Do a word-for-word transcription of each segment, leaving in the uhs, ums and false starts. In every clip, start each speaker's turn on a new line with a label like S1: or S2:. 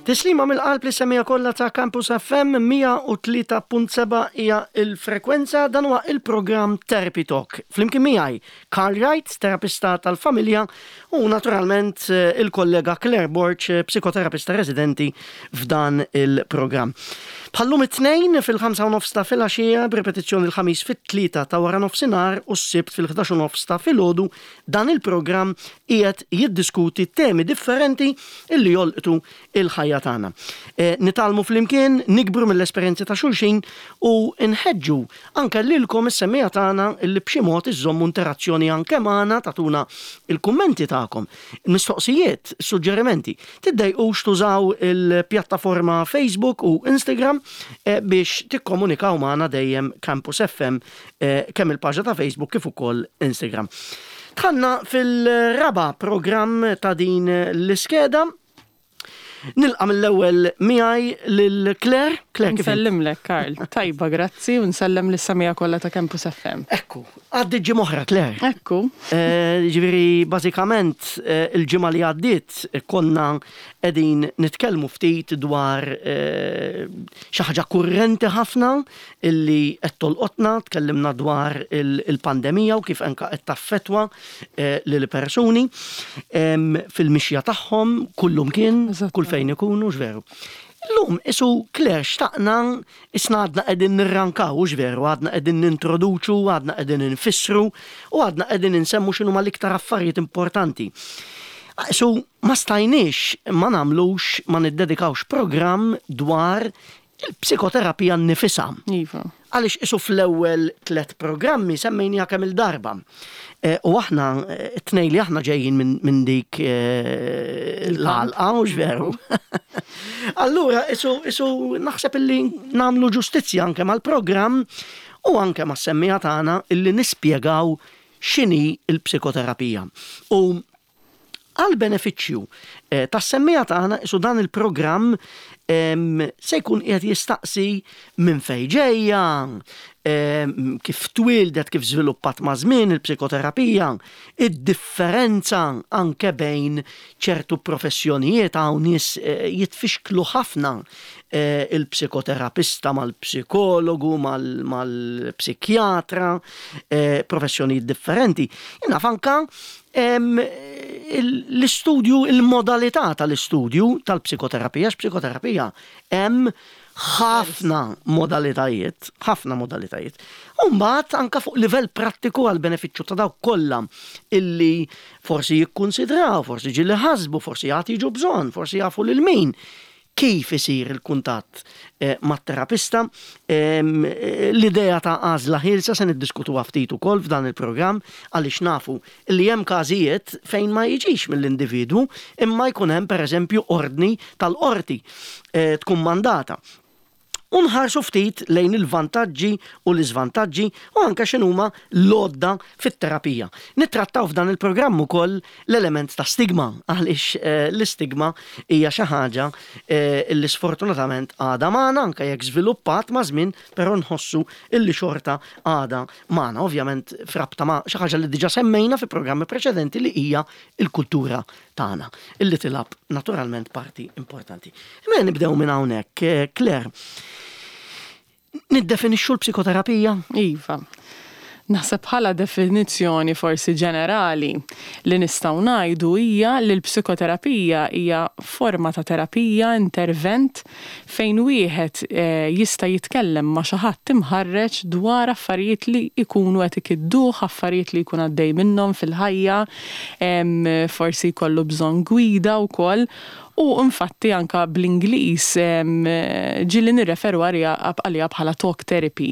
S1: Tislima mill-qalb lis-semmiegħa kollha ta' Campus F M mija u tlieta punt sebgħa hija il-frekwenza. Dan huwa il-programm Therapy Talk. Flimkien miegħi Carl Wright, terapista tal-familja, u naturalment eh, il-kollega Claire Borg, eh, psikoterapista residenti f'dan il-programm. Bħal-lum it-Tnejn fil-ħamsa u nofs ta' filgħaxija, b'repetizzjoni l-Ħamis fit-tlieta ta' wara nofsinhar u s-Sibt fil-ħdax u nofs ta' filgħodu, dan il-programm qiegħed jiddiskuti temi differenti illi jolqtu il-ħajja tagħna. E, nitgħallmu flimkien, nikbru mill-esperjenzi ta' xulxin u nħeġġu anke lilkom is-semmiegħa tagħna illi b'xi mod iżommu interazzjoni anke magħna, tagħtuna il-kummenti tagħkom, mistoqsijiet, suġġerimenti. Tiddejqux tużaw il-pjattaforma Facebook u Instagram eh, biex tikkomunikaw magħna dejjem Campus F M, eh, kemm il-paġna ta' Facebook kif ukoll Instagram. Dħalna fil-raba programm ta' din l-iskeda. Nilqa' mill-ewwel miegħi lil Claire. Claire, kif int?
S2: Nsellimlek, Karl. Tajba, grazzi, u nsellem lis-semmiegħa kollha ta' Campus F M.
S1: Ekku, għaddi ġimgħa oħra, Claire.
S2: Ekku.
S1: Eh, Ġifieri, bażikament, eh, il-ġimgħa li għaddiet eh, konna qegħdin nitkellmu ftit dwar eh, xi ħaġa kurrenti ħafna illi qed tolqotna, tkellimna dwar il- il-pandemija u kif anka qed taffetwa eh, lil persuni em, fil-mixja tagħhom kullum kien,
S2: Eżatt.
S1: kull fejn ikunu, x'veru. Illum, isu Claire, xtaqna, isna għadna qegħdin nirrankaw, veru, għadna qegħdin nintroduċu, għadna qegħdin nfissru, u għadna qegħdin nsemmu x'inhu l-iktar affarijiet importanti. Isu ma stajniex ma nagħmlux, ma niddedikawx programm dwar il-psikoterapija nnifisha.
S2: Iva.
S1: Għaliex isu fl-ewwel tlet programmi semmejniha kemm il-darba. E, U aħna, eh, it-tnejn li aħna ġejjin minn min dik eh, l-għalqa, u veru. Allura, isu, isu naħseb illi nagħmlu ġustizzja anke mal-programm u anke mas-semmiegħa tagħna illi nispjegaw x'inhi il-psikoterapija. U għal benefiċċju eh, tas-semmiegħa tagħna isu dan il-programm em, se jkun qiegħed jistaqsi minn fejn ġejja, em, kif twildet, kif żviluppat ma' żmien il-psikoterapija, id-differenza anke bejn ċertu professjonijiet. Hawn nies eh, jitfixklu ħafna eh, il-psikoterapista mal-psikologu, mal- mal-psikjatra, eh, professjonijiet differenti. Jien naf anka em, il- l-istudju, il-modalità tal-istudju tal-psikoterapija, x'psikoterapija hemm ħafna modalitajiet, ħafna modalitajiet. U mbagħad anka fuq livell prattiku għal benefiċċju ta' dawk kollha illi forsi jikkunsidraw, forsi ġieli ħasbu, forsi jagħti jiġu bżonn, forsi jafu lil min kif isir il-kuntatt eh, mat-terapista. Em, eh, l-idea ta' għażla ħielsa se niddiskutuha ftit ukoll f'dan il-programm, għaliex nafu li hemm każijiet fejn ma jiġix mill-individwu imma jkun hemm, pereżempju, ordni tal-qorti eh, tkun mandata. U nħarsu ftit lejn il-vantaġġi u l-iżvantaġġi u anke x'inhuma l-għodda fit-terapija. Nittrattaw f'dan il-programm ukoll l-element ta' stigma, għaliex eh, l-istigma hija xi ħaġa eh, li sfortunatament għadha magħna anke jekk żviluppat ma' żmien, però nħossu illi xorta għadha magħna. Ovvjament frabta ma' xi ħaġa li diġà semmejna fi programmi preċedenti, li hija il-kultura tagħna, illi tilgħab naturalment parti importanti. Imma nibdew minn hawnhekk, eh, Claire. Niddefinixxu l-psikoterapija?
S2: Iva. Naħseb bħala definizzjoni forsi ġenerali li nistgħu ngħidu hija li l-psikoterapija hija forma ta' terapija, intervent fejn wieħed eh, jista' jitkellem ma' xi ħadd imħarreġ dwar affarijiet li jkunu qed ikidduh, affarijiet li jkun għaddej minnhom fil-ħajja, em, forsi jkollu bżonn gwida wkoll. U infatti anka bl-Ingliż em, ġieli nirreferu għalija għalija bħala talk therapy.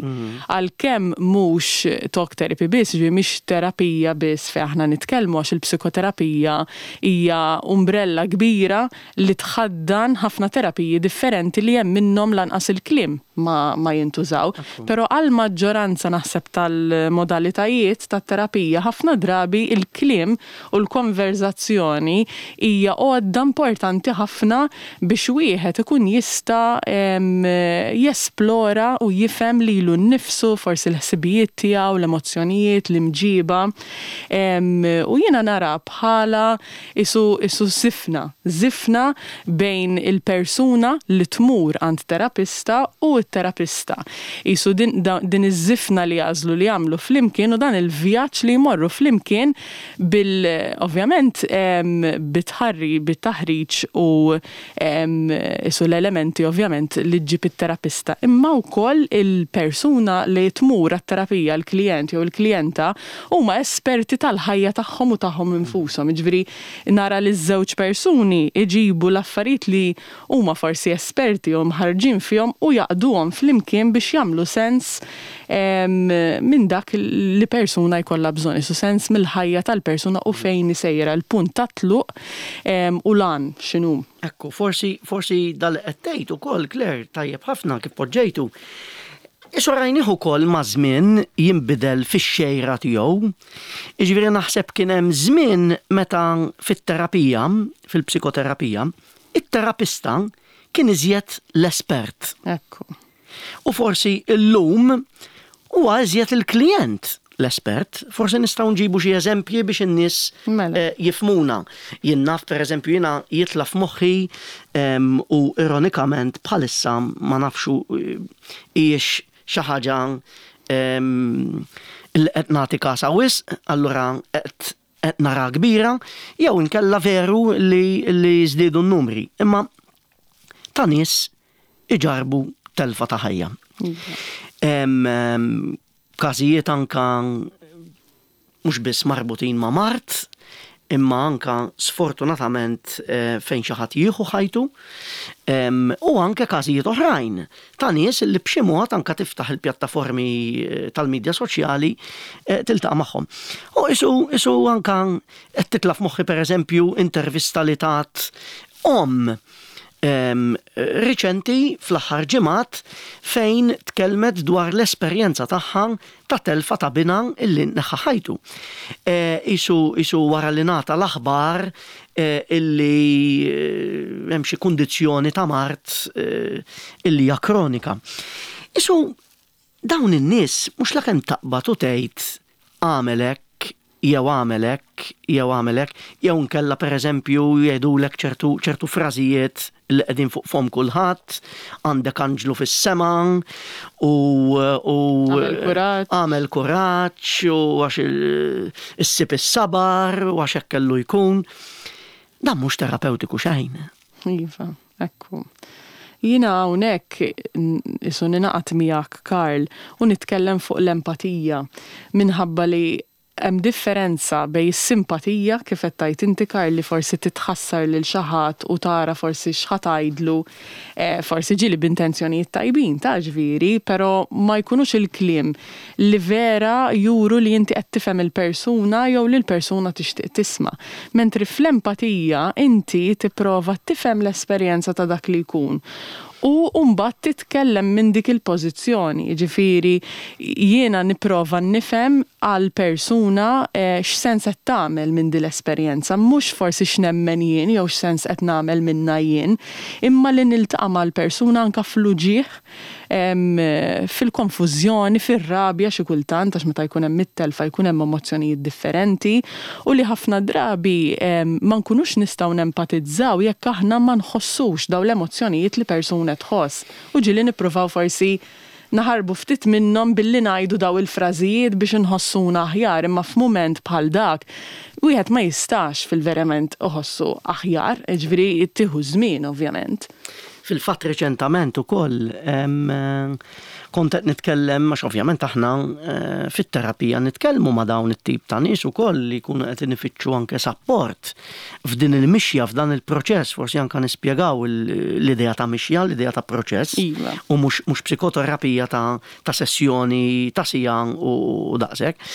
S2: Għalkemm mhux talk therapy biss, ġifieri mhix terapija biss fejn aħna nitkellmu, għax il-psikoterapija hija umbrella kbira li tħaddan ħafna terapiji differenti li hemm minnhom lanqas il-kliem ma, ma jintużaw. Però għal maġġoranza naħseb tal-modalitajiet tat-terapija, ħafna drabi il-kliem u l-konverzazzjoni hija għodda importanti ħafna biex wieħed ikun jista' em, jesplora u jifhem lilu nnifsu, forsi l-ħsibijiet tiegħu, l-emozzjonijiet, l-imġiba. Em, U jiena nara bħala isu, isu żifna, żifna bejn il-persuna li tmur għand terapista u t-terapista. Isu din, da, din iż-żifna li jagħżlu li jagħmlu flimkien u dan il-vjaġġ li jmorru flimkien bil, ovvjament, em, bitħarri, bit-taħriġ u em, isu l-elementi ovvjament li ġġib it-terapista. Imma wkoll il-persuna li tmur għat-terapija, l-klient jew il-klijenta, huma esperti tal-ħajja tagħhom u tagħhom infushom. Jiġifieri nara li ż-żewġ persuni iġibu l-affarijiet li huma forsi esperti u mħarġin fihom u jgħaqqduhom flimkien biex jagħmlu sens em, minn dak li persuna jkollha bżonn, isu sens mill-ħajja tal-persuna u fejn sejra, l-punt ta' tluq em, u lan x'inhu.
S1: Ekku, forsi, forsi dal qed tgħid ukoll, Claire, tajjeb ħafna kif poġġejtu. Isu rajnieh ukoll ma' żmien jinbidel fix-xejra tiegħu. Jiġifieri naħseb kien hemm żmien meta fit-terapija, fil-psikoterapija, it-terapista kien iżjed l-espert.
S2: Ekku.
S1: U forsi illum huwa iżjed il-klient l-espert. Forsi nistgħu nġibu xi eżempji biex in-nies
S2: Mela.
S1: eh, jifhmuna. Jien naf, pereżempju, jiena jitla' f'moħħi em, u ironikament bħalissa ma nafxu eh, hijiex xi ħaġa em, li qed nagħti kasa wisq, allura qed qed nara kbira, jew inkella veru li li żdiedu n-numri. Imma ta' nies iġarbu telfa ta' ħajja. Em, em, Każijiet anka mhux biss marbutin ma' mard, imma anka sfortunatament eh, fejn xi ħadd jieħu ħajtu, em, u anke każijiet oħrajn ta' nies li b'xi mod anka tiftaħ il-pjattaformi eh, tal-medja soċjali eh, tiltaqa' magħhom. U isu, isu anka qed titla' f'moħħi, pereżempju, intervista li tat om em, riċenti fl-aħħar ġimgħat fejn tkellmet dwar l-esperjenza tagħha ta' telfa ta' binha illi neħħa ħajtu. E, isu, isu wara li ngħata l-aħbar e, illi eh, hemm xi kundizzjoni ta' mard e, illi hija kronika. Isu dawn in-nies mhux lakemm taqbad u tgħid għamel hekk jew għamel hekk, jew għamel hekk, jew nkella pereżempju jgħidulek ċertu ċertu frażijiet li qegħdin fuq fom kulħadd, għandek anġlu fis-sema u u
S2: Għamel kuraġġ.
S1: Għamel kuraġġ u għax il- issib is-sabar u għax hekk kellu jkun. Dan mhux terapeutiku xejn.
S2: Iva, ekku. Jiena hawnhekk isu ningħaqad miegħek, Karl, u nitkellem fuq l-empatija minħabba li hemm differenza bejn is-simpatija, kif qed tgħid inti, Karl, li forsi titħassar lil xi ħadd u tara forsi x'ħa tgħidlu, eh, forsi ġieli b'intenzjonijiet tajbin ta' ġifieri, però ma jkunux il-kliem li vera juru li inti qed tifhem il-persuna jew li l-persuna tixtieq tisma'. Mentri fl-empatija inti tipprova tifhem l-esperjenza ta' dak li jkun. U mbagħad titkellem minn dik il-pożizzjoni, jiġifieri jiena nipprova nifhem għal persuna eh, x'sens qed tagħmel minn din l-esperjenza, mhux forsi x'nemmen jien jew x'sens qed nagħmel minnha jien, imma li niltaqa' mal-persuna anka fl-uġigħ, em, fil-konfużjoni, fir-rabja xi kultant, għax meta jkun hemm it-telfa jkun hemm emozzjonijiet differenti u li ħafna drabi em, ma nkunux nistgħu nempatizzaw jekk aħna ma nħossux daw l-emozzjonijiet li persuna tħoss. U ġieli nippruvaw forsi naħarbu ftit minnhom billi ngħidu daw il-frażijiet biex inħossuna aħjar, imma f'mument bħal dak wieħed ma jistax fil-verament iħossu aħjar, ġifieri tieħu żmien ovvjament.
S1: Fil-fatt reċentament ukoll em, kont qed nitkellem, għax ovvjament aħna eh, fit-terapija nitkellmu ma' dawn it-tip ta' nies ukoll li jkunu qed inifittxu anke sapport f'din il-mixja, f'dan il-proċess, forsi anke nispjegaw il- l-idea ta' mixja, l-idea ta' proċess
S2: Iva.
S1: u mhux mhux psikoterapija ta' ta' sessjoni ta' siegħa u, u daqshekk.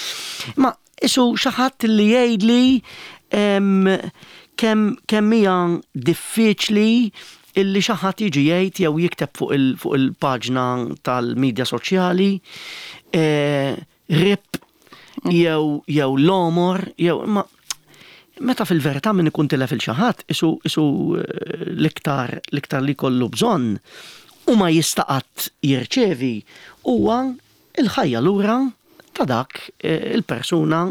S1: Ma isu xi ħadd li jgħidli em, kemm kemm hija diffiċli Illi xi ħadd jiġi jgħid jew jikteb fuq il- fuq il-paġna tal-medja soċjali eh, R I P jew jew l-għomor jew imma meta fil-verità min ikun tilef lil xi ħadd isu isu eh, l-iktar l-iktar li kollu bżonn u ma jista' qatt jirċevi huwa il-ħajja lura ta' dak eh, il-persuna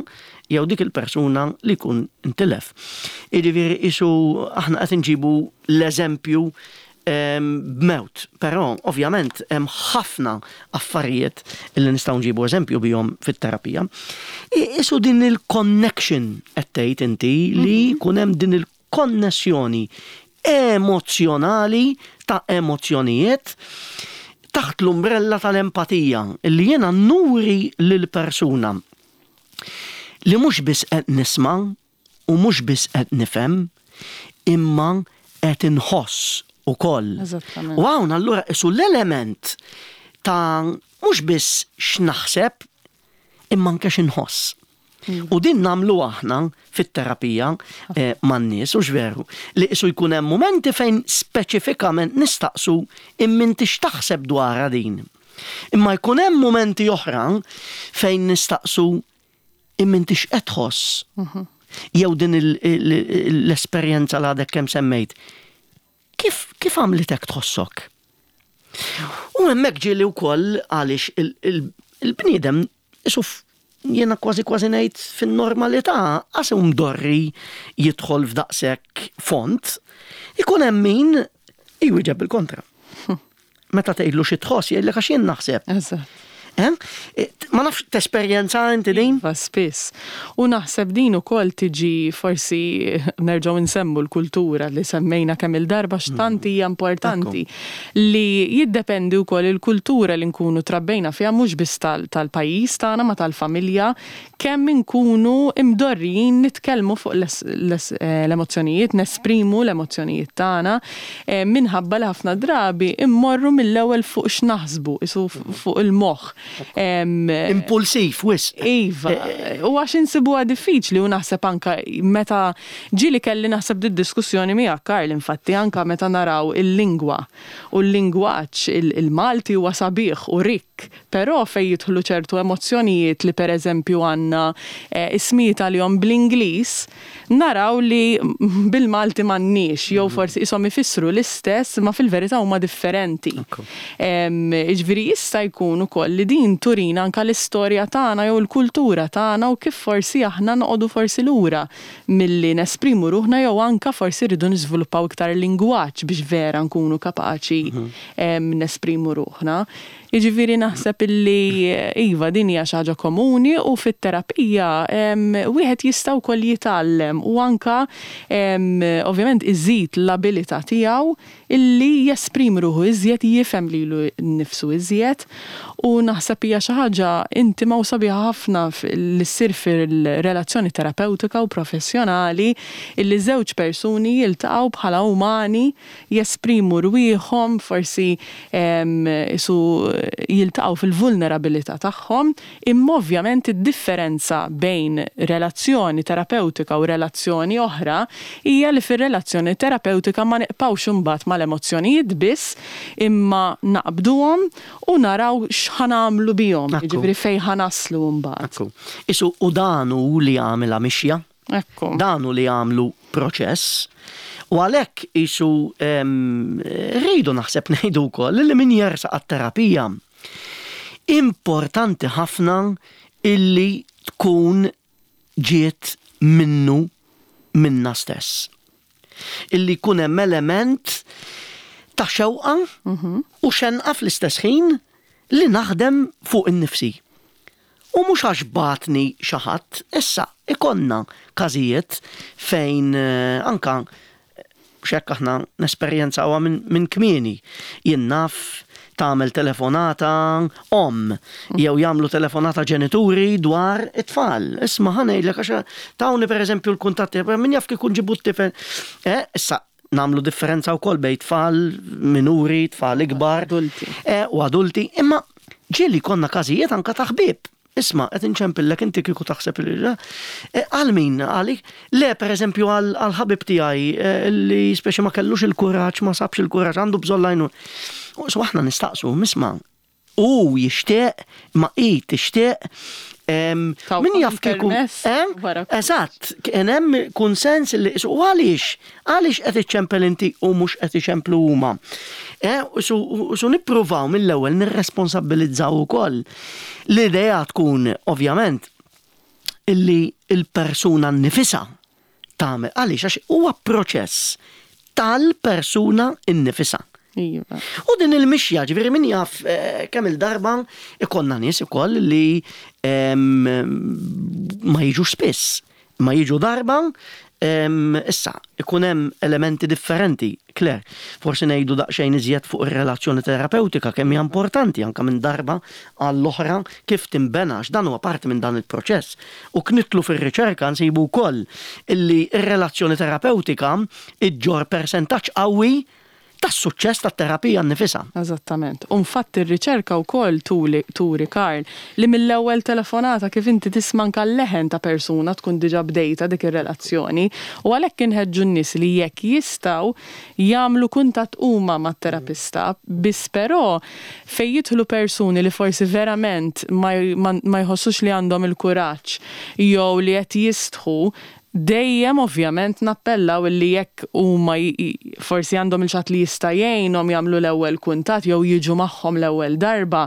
S1: jew dik il-persuna li jkun intilef. Jiġifieri isu aħna qed inġibu l-eżempju em, b'mewt, però ovvjament hemm ħafna affarijiet li nistgħu nġibu eżempju bihom fit-terapija. I- Isu din il-connection qed tgħid inti li jkun hemm din il-konnessjoni emozjonali ta' emozzjonijiet taħt l-umbrella tal-empatija illi jiena nuri lil persuna li mhux biss qed nisma' u mhux biss qed nifhem imma qed inħoss ukoll.
S2: Eżattament.
S1: U hawn allura isu l-element ta' mhux biss x'naħseb imma anke x'inħoss. U din nagħmlu aħna fit-terapija eh, man-nies, u veru, li isu jkun hemm momenti fejn speċifikament nistaqsu imma x'taħseb dwarha din. Imma jkun hemm momenti oħra fejn nistaqsu imma inti x'qed tħoss. Jew din il- il- l-esperjenza li għadek kemm semmejt. Kif, kif għamlitek tħossok? U hemmhekk ġieli wkoll għaliex il- il- il-bniedem isu f- jiena kważi kważi ngħid fin-normalità għax hu mdorri jidħol f'daqshekk fond, ikun hemm min jwieġeb bil-kontra. Meta tgħidlu xi tħoss jgħidlek għax jien naħseb.
S2: Eżatt.
S1: Eh? Ma nafx tesperjenza inti din?
S2: Iva, spiss. U naħseb din ukoll tiġi forsi nerġgħu nsemmu l-kultura li semmejna kemm il-darba x'tant hija importanti li jiddependi wkoll il-kultura li nkunu trabbejna fiha, mhux biss tal- tal-pajjiż tagħna ma tal-familja, kemm inkunu imdorrijin nitkellmu fuq l- l- eh, l-emozzjonijiet, nesprimu l-emozzjonijiet tagħna eh, minħabba li ħafna drabi immorru mill-ewwel fuq x'naħsbu, isu fuq il-moħħ. Em,
S1: Impulsiv, wisq.
S2: Iva, u għax insibuha diffiċli u naħseb anka meta ġieli kelli naħseb di diskussjoni miegħek, Karl, infatti anka meta naraw il-lingwa u l-lingwaġġ il- il-Malti huwa sabiħ u rikk, però fej jidħlu ċertu emozzjonijiet li pereżempju għandna eh, ismijiet għalihom bl-Ingliż, naraw li bil-Malti m'għandniex, jew forsi ishom ifissru l-istess ma fil-verità huma differenti.
S1: Ekku.
S2: Em, Ġifieri jista' jkun ukoll li din turina anka l-istorja tagħna jew il-kultura tagħna u kif forsi aħna noqogħdu forsi lura milli nesprimu ruħna jew anka forsi rridu niżviluppaw iktar lingwaġġ biex vera nkunu kapaċi em, nesprimu ruħna. Jiġifieri naħseb illi iva, din hija xi ħaġa komuni u fit-terapija em, wieħed jista' wkoll jitgħallem u anka em, ovvjament iżid l-abilità tiegħu illi jesprimi ruħu iżjed, jifhem lilu nnifsu iżjed, u naħseb hija xi ħaġa intima u sabiħa ħafna f- li ssir fil-relazzjoni terapeutika u professjonali illi żewġ persuni jiltaqgħu bħala umani, jesprimu rwieħhom, forsi em, isu jiltaqgħu fil-vulnerabilità tagħhom, imma ovvjament id-differenza bejn relazzjoni terapeutika u relazzjoni oħra hija li fir-relazzjoni terapeutika ma nibqgħux imbagħad mal-emozzjonijiet biss, imma naqbduhom u naraw x'ħa nagħmlu bihom,
S1: Ekku.
S2: jiġifieri fejn ħa naslu mbagħad.
S1: Ekku. Isu u dan hu li għamilha mixja,
S2: Ekku.
S1: dan hu li għamlu proċess. U għalhekk isu em, rridu naħseb ngħidu wkoll li min jersaq għat-terapija importanti ħafna illi tkun ġiet minnu minna stess. Illi jkun hemm element ta' xewqa u xenqa fl-istess ħin li naħdem fuq in-nifsi. U mhux għax bagħatni xi ħadd, issa ikollna każijiet fejn eh, anka xekk aħna nesperjenzawha minn min kmieni. Jien naf tagħmel telefonata om jew jagħmlu telefonata ġenituri dwar it-tfal. Isma' ħa ngħidlek għax tawni pereżempju l-kuntatti, min jaf kif ġibu t-tifel. Eh, issa nagħmlu differenza wkoll bejn tfal minuri, tfal ikbar.
S2: Adulti.
S1: Eh, u adulti, imma ġieli konna każijiet anka ta' ħbieb. Isma', qed inċempillek, inti kieku taħseb li eh, għal min għalik? Le, per eżempju, għal ħabib tiegħi eh, li speċi ma kellux il-kuraġġ, ma sabx il-kuraġġ, għandu bżonn l-għajnuna. So aħna nistaqsu, isma', u jixtieq, ma i tixtieq, min jaf kieku. Eżatt, kien hemm kunsens li u għaliex, għaliex qed iċċempel inti u mhux qed iċemplu huma? Eh, su nippruvaw mill-ewwel nirresponsabilizzaw ukoll. L-idea tkun ovvjament illi il-persuna nnifisha tagħmel, għaliex għax huwa proċess tal-persuna innifisha.
S2: Iva.
S1: U din il-mixja, ġifieri min jaf eh, kemm il-darba ikollna nies ukoll li ma jiġux spiss, ma jiġu darba, issa ikun hemm elementi differenti. Claire, forsi ngħidu daqsxejn iżjed fuq ir-relazzjoni terapeutika, kemm hija importanti anke minn darba għall-oħra kif tinbena, dan huwa parti minn dan il-proċess. U knitlu fir-riċerka nsibu wkoll illi r-relazzjoni terapeutika iġġor persentaġġ qawwi tas-suċċess tat-terapija nnifisha.
S2: Eżattament. U infatti r-riċerka wkoll turi, Karl, li mill-ewwel telefonata kif inti tisma' anke l-leħen ta' persuna tkun diġà bdejta dik ir-relazzjoni, u għalhekk inħeġġu n-nies li jekk jistgħu jagħmlu kuntatt huma mat-terapista, biss però fejn jidħlu persuni li forsi verament ma jħossux li għandhom il-kuraġġ jew li qed jistħu, dejjem ovvjament nappellaw li jekk huma forsi għandhom il-xi ħadd li jista' jgħinhom jagħmlu l-ewwel kuntatt jew jiġu magħhom l-ewwel darba,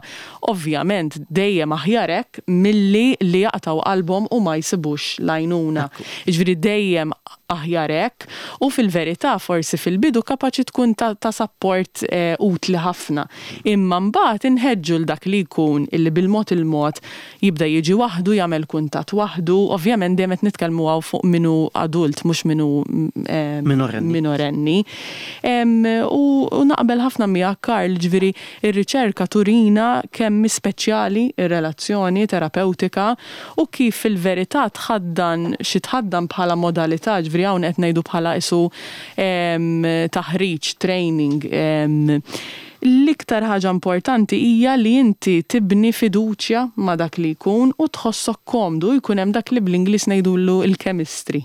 S2: ovvjament dejjem aħjar hekk milli li jaqtaw qalbhom u ma jsibux l-għajnuna. Jiġifieri dejjem aħjar hekk, u fil-verità forsi fil-bidu kapaċi tkun ta', ta support eh, utli ħafna. Imma mbagħad inħeġġu l dak li jkun illi bil-mod il-mod jibda jiġi waħdu, jagħmel kuntatt waħdu, ovvjament dejjem qed nitkellmu hawn fuq minu adult, mhux minu eh,
S1: minorenni.
S2: Minorenni. Em, u, u naqbel ħafna miegħek, Karl, ġifieri ir-riċerka turina kemm speċjali ir-relazzjoni terapeutika u kif fil-verità tħaddan xi tħaddan bħala modalità, ġifieri hawn qed ngħidu bħala isu em, taħriġ, training. em, L-iktar ħaġa importanti hija li inti tibni fiduċja ma' dak li jkun u tħossok komdu, jkun hemm dak li bl-Ingliż ngħidulu il-chemistry,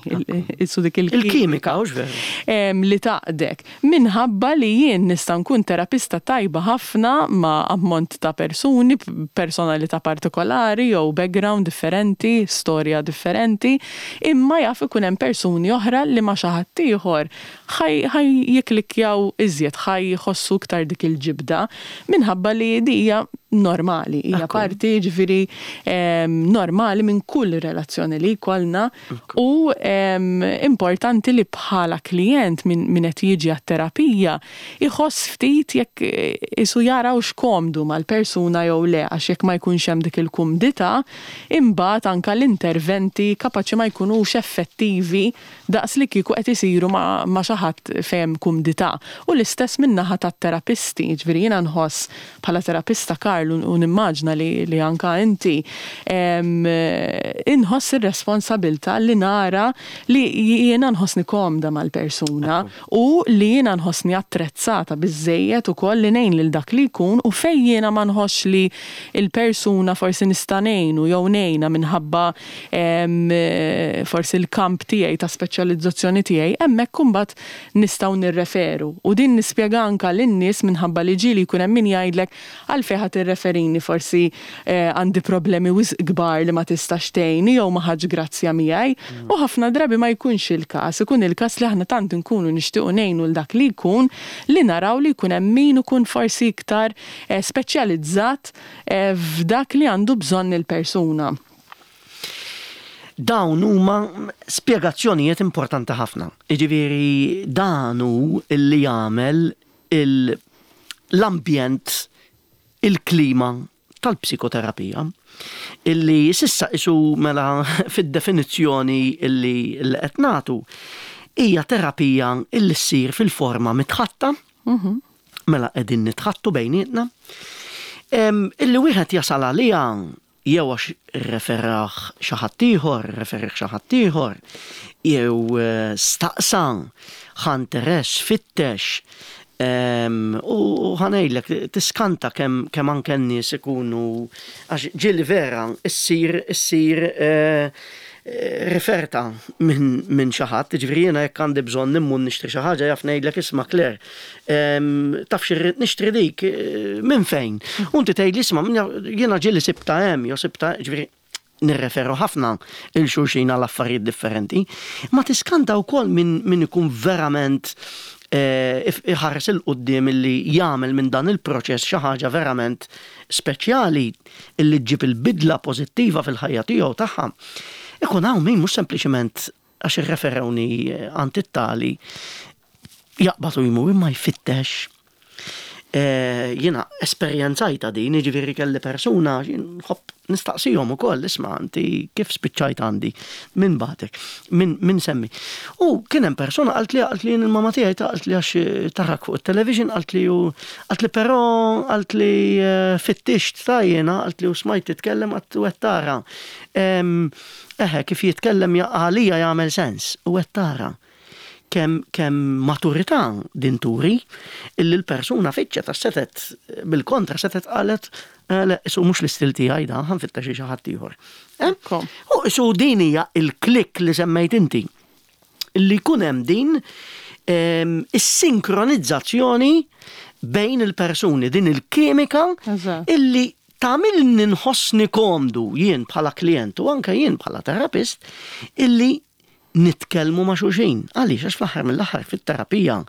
S2: isu dik
S1: il-kimika, hux veru?
S2: Em, li taqdek. Minħabba li jien nista' nkun terapista tajba ħafna ma' ammont ta' persuni, personalità partikolari jew background differenti, storja differenti, imma jaf ikun hemm persuni oħra li ma' xi ħadd ieħor ħaj jiklikjaw iżjed, ħaj jħossu iktar dik il-ġibda, minħabba li di hija normali, hija parti ġifieri normali minn kull relazzjoni li jkollna u importanti li bħala klient minn min qed jiġi għat-terapija iħoss ftit jekk isu jara x'komdu mal-persuna jew le, għax jekk ma jkunx hemm dik il-kumdità, imbagħad anke l-interventi kapaċi ma jkunux effettivi daqs li kieku qed isiru ma, ma xi ħadd fejn kumdità. U l-istess min-naħa tat-terapisti, ġifieri jiena nħoss bħala terapista, Karl, u nimmaġna li, li anka inti, inħoss ir-responsabilità li nara li jiena nħossni komda mal-persuna u li jiena nħossni attrezzata biżejjed ukoll li ngħin lil dak li jkun, u fejn jiena ma nħoss li il-persuna forsi nista' ngħinu jew ngħinha minħabba forsi l-kamp tiegħi ta' speċjalizzazzjoni tiegħi, hemmhekk imbagħad nistgħu nirreferu. U din nispjega anka lin-nies minħabba li ġieli jkun hemm min jgħidlek għalfejn ħadd irreferini, forsi eh, għandi problemi wisq kbar li ma tistax tgħinni jew ma ħadx grazzja miegħi. U ħafna drabi ma jkunx il-każ, ikun il-każ li aħna tant nkunu nixtiequ ngħinu l dak li jkun li naraw li jkun hemm min ikun forsi iktar eh, speċjalizzat eh, f'dak li għandu bżonn il-persuna.
S1: Dawn huma spjegazzjonijiet importanti ħafna. Jiġifieri dan hu illi jagħmel l-ambjent, il-klima tal-psikoterapija, illi s'issa isu mela fid-definizzjoni illi qed nagħtu hija terapija illi ssir fil-forma mitħatta,
S2: mhm.
S1: mela qegħdin nitħattu bejnietna, illi wieħed jasal għaliha jew għax referah xi ħadd ieħor, referih xi ħadd ieħor, jew eh, staqsa, ħa interess, fittex, U ħa ngħidlek, tiskanta kemm kemm anke n-nies ikunu, għax ġieli vera issir issir eh, eh, referta minn min xi ħadd, ġifieri jiena jekk għandi bżonn immur nixtri xi ħaġa jaf ngħidlek: "Isma' Claire, taf xi nixtri dik, eh, minn fejn?" U inti tgħidli: "Isma', jiena ġieli sibta hemm jew sibta", ġifieri nirreferu ħafna lil xulxin għal affarijiet differenti, ma tiskanta wkoll minn min ikun verament eh, iħares 'il quddiem illi jagħmel minn dan il-proċess xi ħaġa verament speċjali illi ġġib il-bidla pożittiva fil-ħajja tiegħu tagħha. Ikun hawn min mhux sempliċement għax irreferewni għand it-tali jaqbad u jmur, imma jfittex. Eh, jiena esperjenzajta din, ġifieri kelli persuna, nħobb nistaqsihom ukoll: "Isma', inti kif spiċċajt għandi? Min bagħtek? Min, min semmi?" U kien hemm persuna qalt li qalt li il-mama tiegħi qalt li għax tarak fuq it-television, qalt li u qalt li però qalt li eh, fittixt ta' jiena, qalt li u smajt titkellem għat u tara. Eħe, kif jitkellem għalija jagħmel sens u tara kemm kem maturità din turi illi l-persuna fittxet, ta' setet bil-kontra setet qalet eh, le, isu mhux l-istil tiegħi da, ħa nfittex xi ħadd ieħor. Eh? U isu din hija il-klik li semmejt inti. Illi jkun hemm din is-sinkronizzazzjoni bejn il-persuni, din il-kimika illi tagħmilni nħossni komdu jien bħala klient u anke jien bħala terapist illi nitkellmu ma' xulxin. Għaliex? Għax fl-aħħar mill-aħħar fit-terapija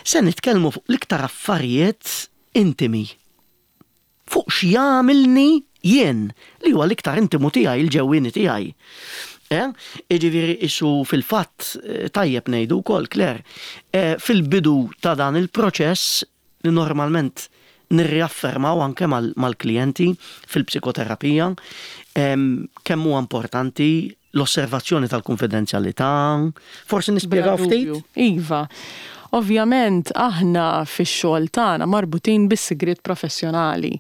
S1: se nitkellmu fuq l-iktar affarijiet intimi. Fuq x'jagħmilni jien li huwa l-iktar intimu tiegħi, il-ġewwieni tiegħi. Eh? Iġifieri isu fil-fatt eh, tajjeb ngħidu wkoll, Claire, eh, fil-bidu ta' dan il-proċess li normalment nirriaffermaw anke mal-klijenti fil-psikoterapija kemm huwa importanti l-osservazzjoni tal-konfidenzjalità. Forsi nispjegaw ftit?
S2: Iva. Ovvjament aħna fix-xogħol tagħna marbutin bis-sigriet professjonali.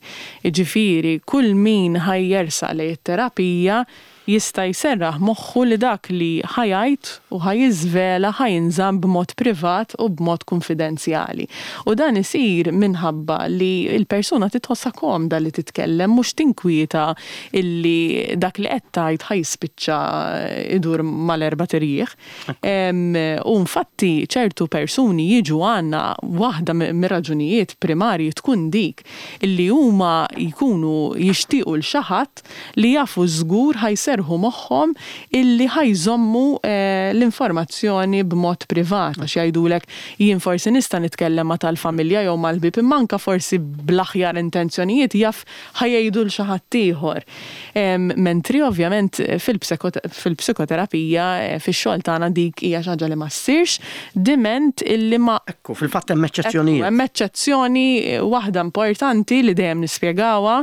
S2: Jiġifieri kull min ħa jersaq lejn it-terapija jista' jserraħ moħħu li dak li ħa jgħid u ħa jiżvela ħa jinżamm b'mod privat u b'mod konfidenzjali. U dan isir minħabba li l-persuna titħossha komda li titkellem, mhux tinkwieta illi dak li qed tgħid ħa jispiċċa idur mal-erbat irjieħ. U infatti ċertu persuni jiġu għandna, waħda mir-raġunijiet primarji tkun dik illi huma jkunu jixtiequ lil xi ħadd li jafu żgur ħa jserrħu moħħhom illi ħa jżommu eh, l-informazzjoni b'mod privat, għax jgħidulek: "Jien forsi nista' nitkellem ma' tal-familja jew mal-ħbieb, imma anka forsi bl-aħjar intenzjonijiet jaf ħa jgħidu lil xi ħadd ieħor." Mentri ovvjament fil-psikoterapija, eh, fix-xogħol tagħna, dik hija xi ħaġa li ma ssirx diment illi ma
S1: Ekku, fil-fatt hemm eċċezzjonijiet.
S2: Hemm eċċezzjoni waħda importanti li dejjem nispjegawha: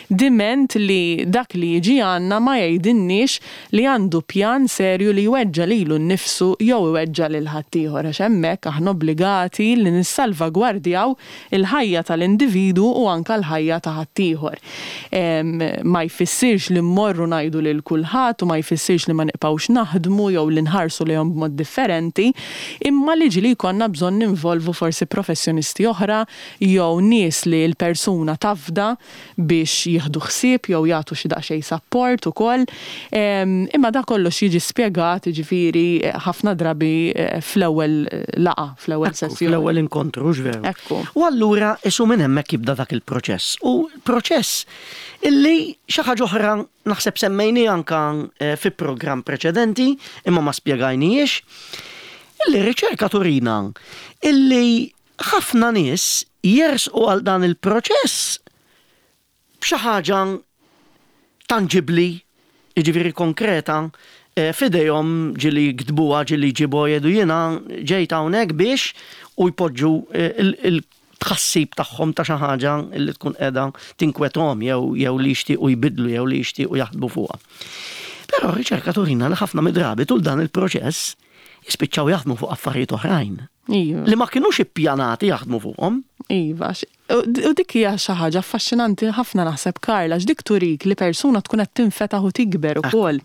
S2: diment li dak li jiġi għandna ma jgħidilniex li għandu pjan serju li jweġġa lilu nnifsu jew iweġġa lil ħaddieħor, għax hemmhekk aħna obbligati li nissalvagwardjaw il-ħajja tal-individu u anka l-ħajja ta' ħaddieħor. Ma jfissirx li mmorru ngħidu lil kulħadd u ma jfissirx li ma nibqgħux naħdmu jew li nħarsu lejhom b'mod differenti, imma li ġieli jkollna bżonn ninvolvu forsi professjonisti oħra jew nies li l-persuna tafda biex jieħdu ħsieb jew jagħtu xi daqsxejn support ukoll. Imma da kollox jiġi spjegat, ġifieri, ħafna drabi eh, fl-ewwel laqgħa, fl-ewwel sessjoni.
S1: Fl-ewwel inkontru, veru.
S2: Ekku.
S1: U allura isu minn hemmhekk jibda dak il-proċess. U proċess illi xi ħaġa oħra naħseb semmejni anka eh, fi programm preċedenti imma ma spjegajnijiex, illi riċerka turina illi ħafna nies jersqu għal dan il-proċess b'xi ħaġa tangibli, jiġifieri konkreta, eh, f'idejhom, ġieli jiktbuha, ġieli jġibu, jgħidu: "Jiena ġejt hawnhekk biex", u jpoġġu eh, il-tħassib tagħhom ta' xi ħaġa li tkun qiegħda tinkwetahom jew jew li jixtiequ jbidlu jew li jixtiequ jaħdmu fuqha. Però r-riċerka turina li ħafna mid-drabi tul dan il-proċess jispiċċaw jaħdmu fuq affarijiet oħrajn.
S2: Iva.
S1: Li ma kinux ippjanati jaħdmu fuqhom.
S2: Iva, u dik hija xi ħaġa affaxxinanti ħafna naħseb, Karla, dik turik li persuna tkun qed tinfetaħ u tikber ukoll.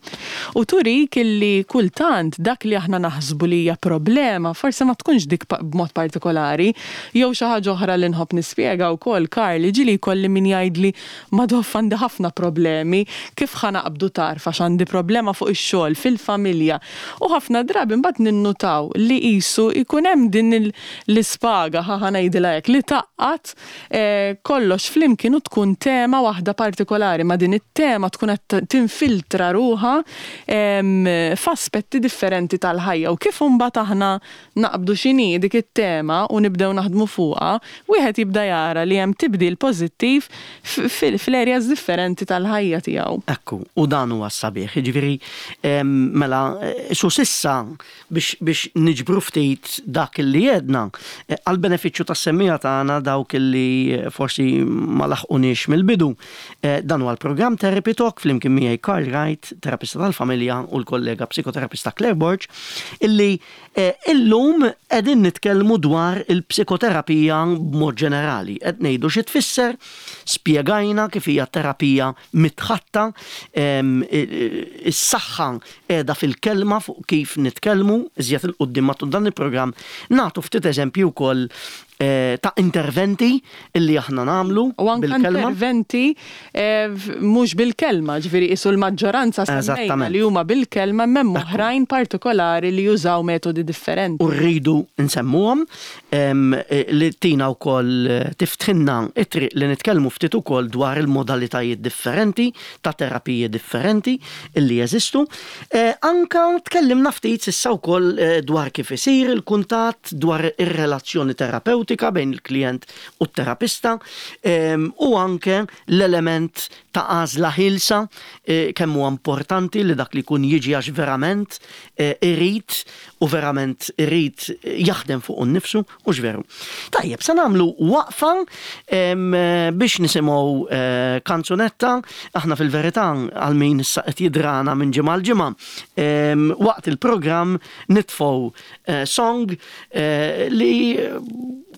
S2: U turik illi kultant dak li aħna naħsbu li hija problema forsi ma tkunx dik b'mod partikolari, jew xi ħaġa oħra li nħobb nispjega wkoll, Karli, ġieli jkolli min jgħidli Madoff għandi ħafna problemi, kif ħa naqbdu tarf għax għandi problema fuq ix-xogħol, fil-familja. U ħafna drabi mbagħad ninnutaw li qisu jkun hemm din l-ispaga, ħa ngħidilha hekk, li taqqat kollox flimkien u tkun tema waħda partikolari, ma din it-tema tkun qed tinfiltra ruha f'aspetti differenti tal-ħajja. U kif imbagħad aħna naqbdu x'inhi dik it-tema u nibdew naħdmu fuqha, wieħed jibda jara li hemm tibdil pożittiv fl-areas differenti tal-ħajja tiegħu.
S1: Ekku, u dan huwa sabiħ, jiġifieri mela su sissa biex biex niġbru ftit dak li jedna għall-benefiċċju tas-semmija tagħna dawk li forsi ma laħqunix mill-bidu. Dan huwa l-programm Therapy Talk flimkien miegħi Karl Wright, terapista tal-familja, u l-kollega psikoterapista Claire Borg, illi illum qegħdin nitkellmu dwar il-psikoterapija b'mod ġenerali. Qed ngħidu xi tfisser, spjegajna kif hija terapija mitħatta, is-saħħa qiegħda fil-kelma fuq kif nitkellmu, iżjed il quddiem matul dan il-programm nagħtu ftit eżempju wkoll ta' interventi illi aħna nagħmlu
S2: u anke interventi mhux bil-kelma, ġifieri qisu l-maġġoranza semmejna li huma bil-kelma, m'hemm oħrajn partikolari li jużaw metodi differenti.
S1: U rridu nsemmuhom li tina wkoll tiftħinna it-triq li nitkellmu ftit ukoll dwar il-modalitajiet differenti ta' terapiji differenti illi jeżistu. Anka tkellimna ftit s'issa wkoll dwar kif isir il-kuntatt, dwar ir-relazzjoni terapeutika bejn il-klient u t-terapista, u anke l-element ta' għażla ħilsa, kemm huwa importanti li dak li jkun jiġi għax verament irid u verament irid jaħdem fuq innifsu u x'veru. Tajjeb, se nagħmlu waqfa biex nisimgħu kanzunetta. Aħna fil-verità għal min issa qed jidrana minn ġimgħa l ġimgħa, waqt il-programm nitfgħu song li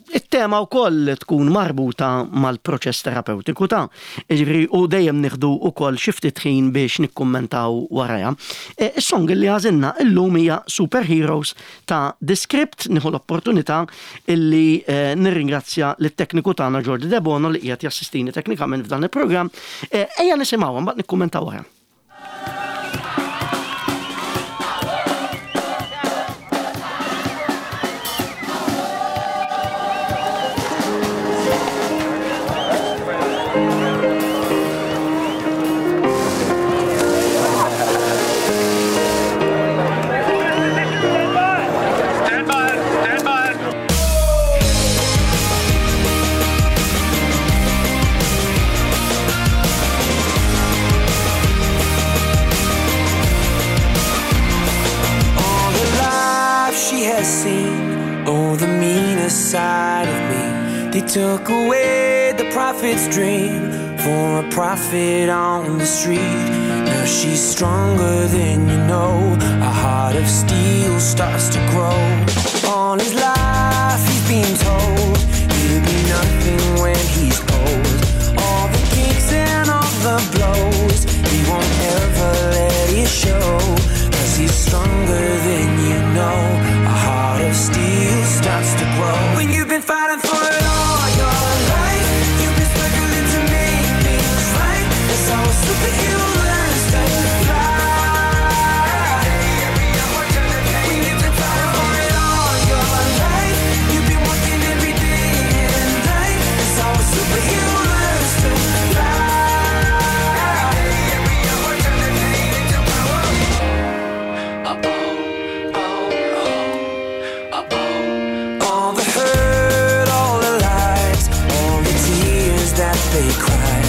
S1: it-tema wkoll tkun marbuta mal-proċess terapeutiku ta' jiġifieri, u dejjem nieħdu wkoll xi ftit ħin biex nikkummentaw warajha. Is-song li għażilna illum hija Superheroes ta' The Script. Nieħu l-opportunità illi nirringrazzja lit-tekniku tagħna Jordi Debono li qiegħed jassistini teknikament f'dan il-programm. Ejja nisimgħuha mbagħad nikkummentaw wara.
S3: Side of me, they took away the prophet's dream for a prophet on the street. Now she's stronger than you know, a heart of steel starts to grow. All his life he's been told he'll be nothing when he's old. All the kicks and all the blows, he won't ever let it show, 'cause he's stronger than you know. A heart of steel starts to grow. When you've been fighting for it all your life, you've been struggling to make things right. That's how a superhero learns to fly. When you've been fighting for it all your life, you've been working every day and night. That's how a superhero learns to fly. All the hurt, all the lies, all the tears that they cry.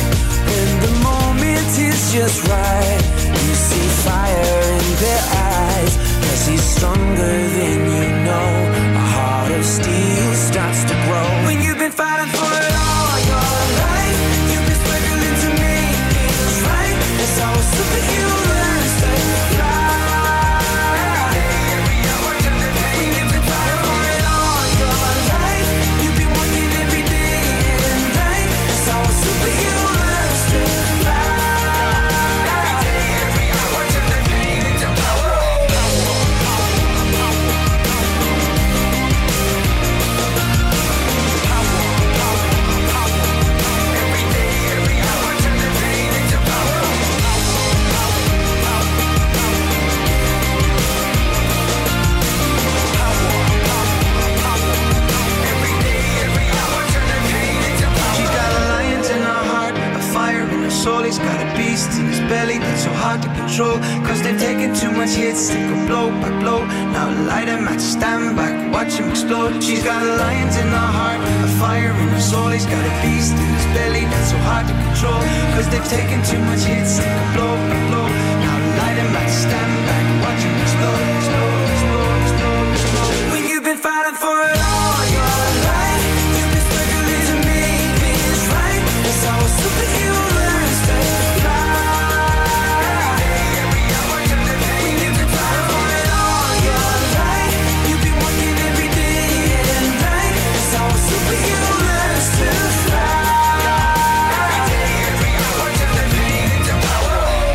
S3: When the moment is just right, you see fire in their eyes, 'cause he's stronger than you know. A heart of steel starts to grow. When you've been fighting for it all your life, you've been struggling to make things right. That's how a superhero learns to fly. When you've been fighting for it all He's got a beast in his belly that's so hard to control. Cause they've taken too much hits, they go blow by blow. Now light a match, stand back, watch him explode. She's got a lions in her heart, a fire in her soul. He's got a beast in his belly that's so hard to control. Cause they've taken too much hits, they go blow by blow. Now light a match, stand back, watch him explode, explode, explode, explode, explode. When you've been fighting for it all your life, you've been struggling to make things right. That's how a superhero learns to fly. When you've been fighting for it all your life, you've been working every day and night. That's how a superhero learns to fly. Every day, every hour, turn the pain into power.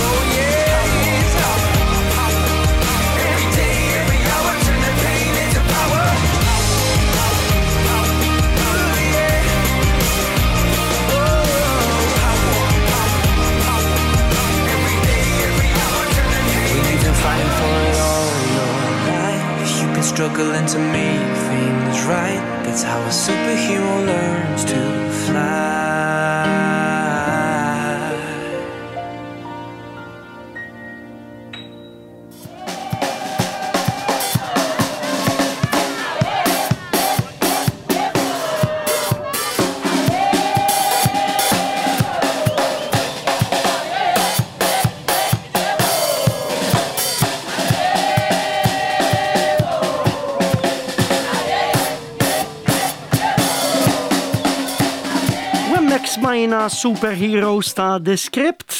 S3: Oh yeah, every day, every hour, turn the pain into power. Oh yeah. Oh. Every day, every hour, turn the pain When you've been fighting for it all your life, you've been struggling to make things right. That's how a superhero learns to fly.
S1: U hemmhekk smajna Superheroes ta' The Script,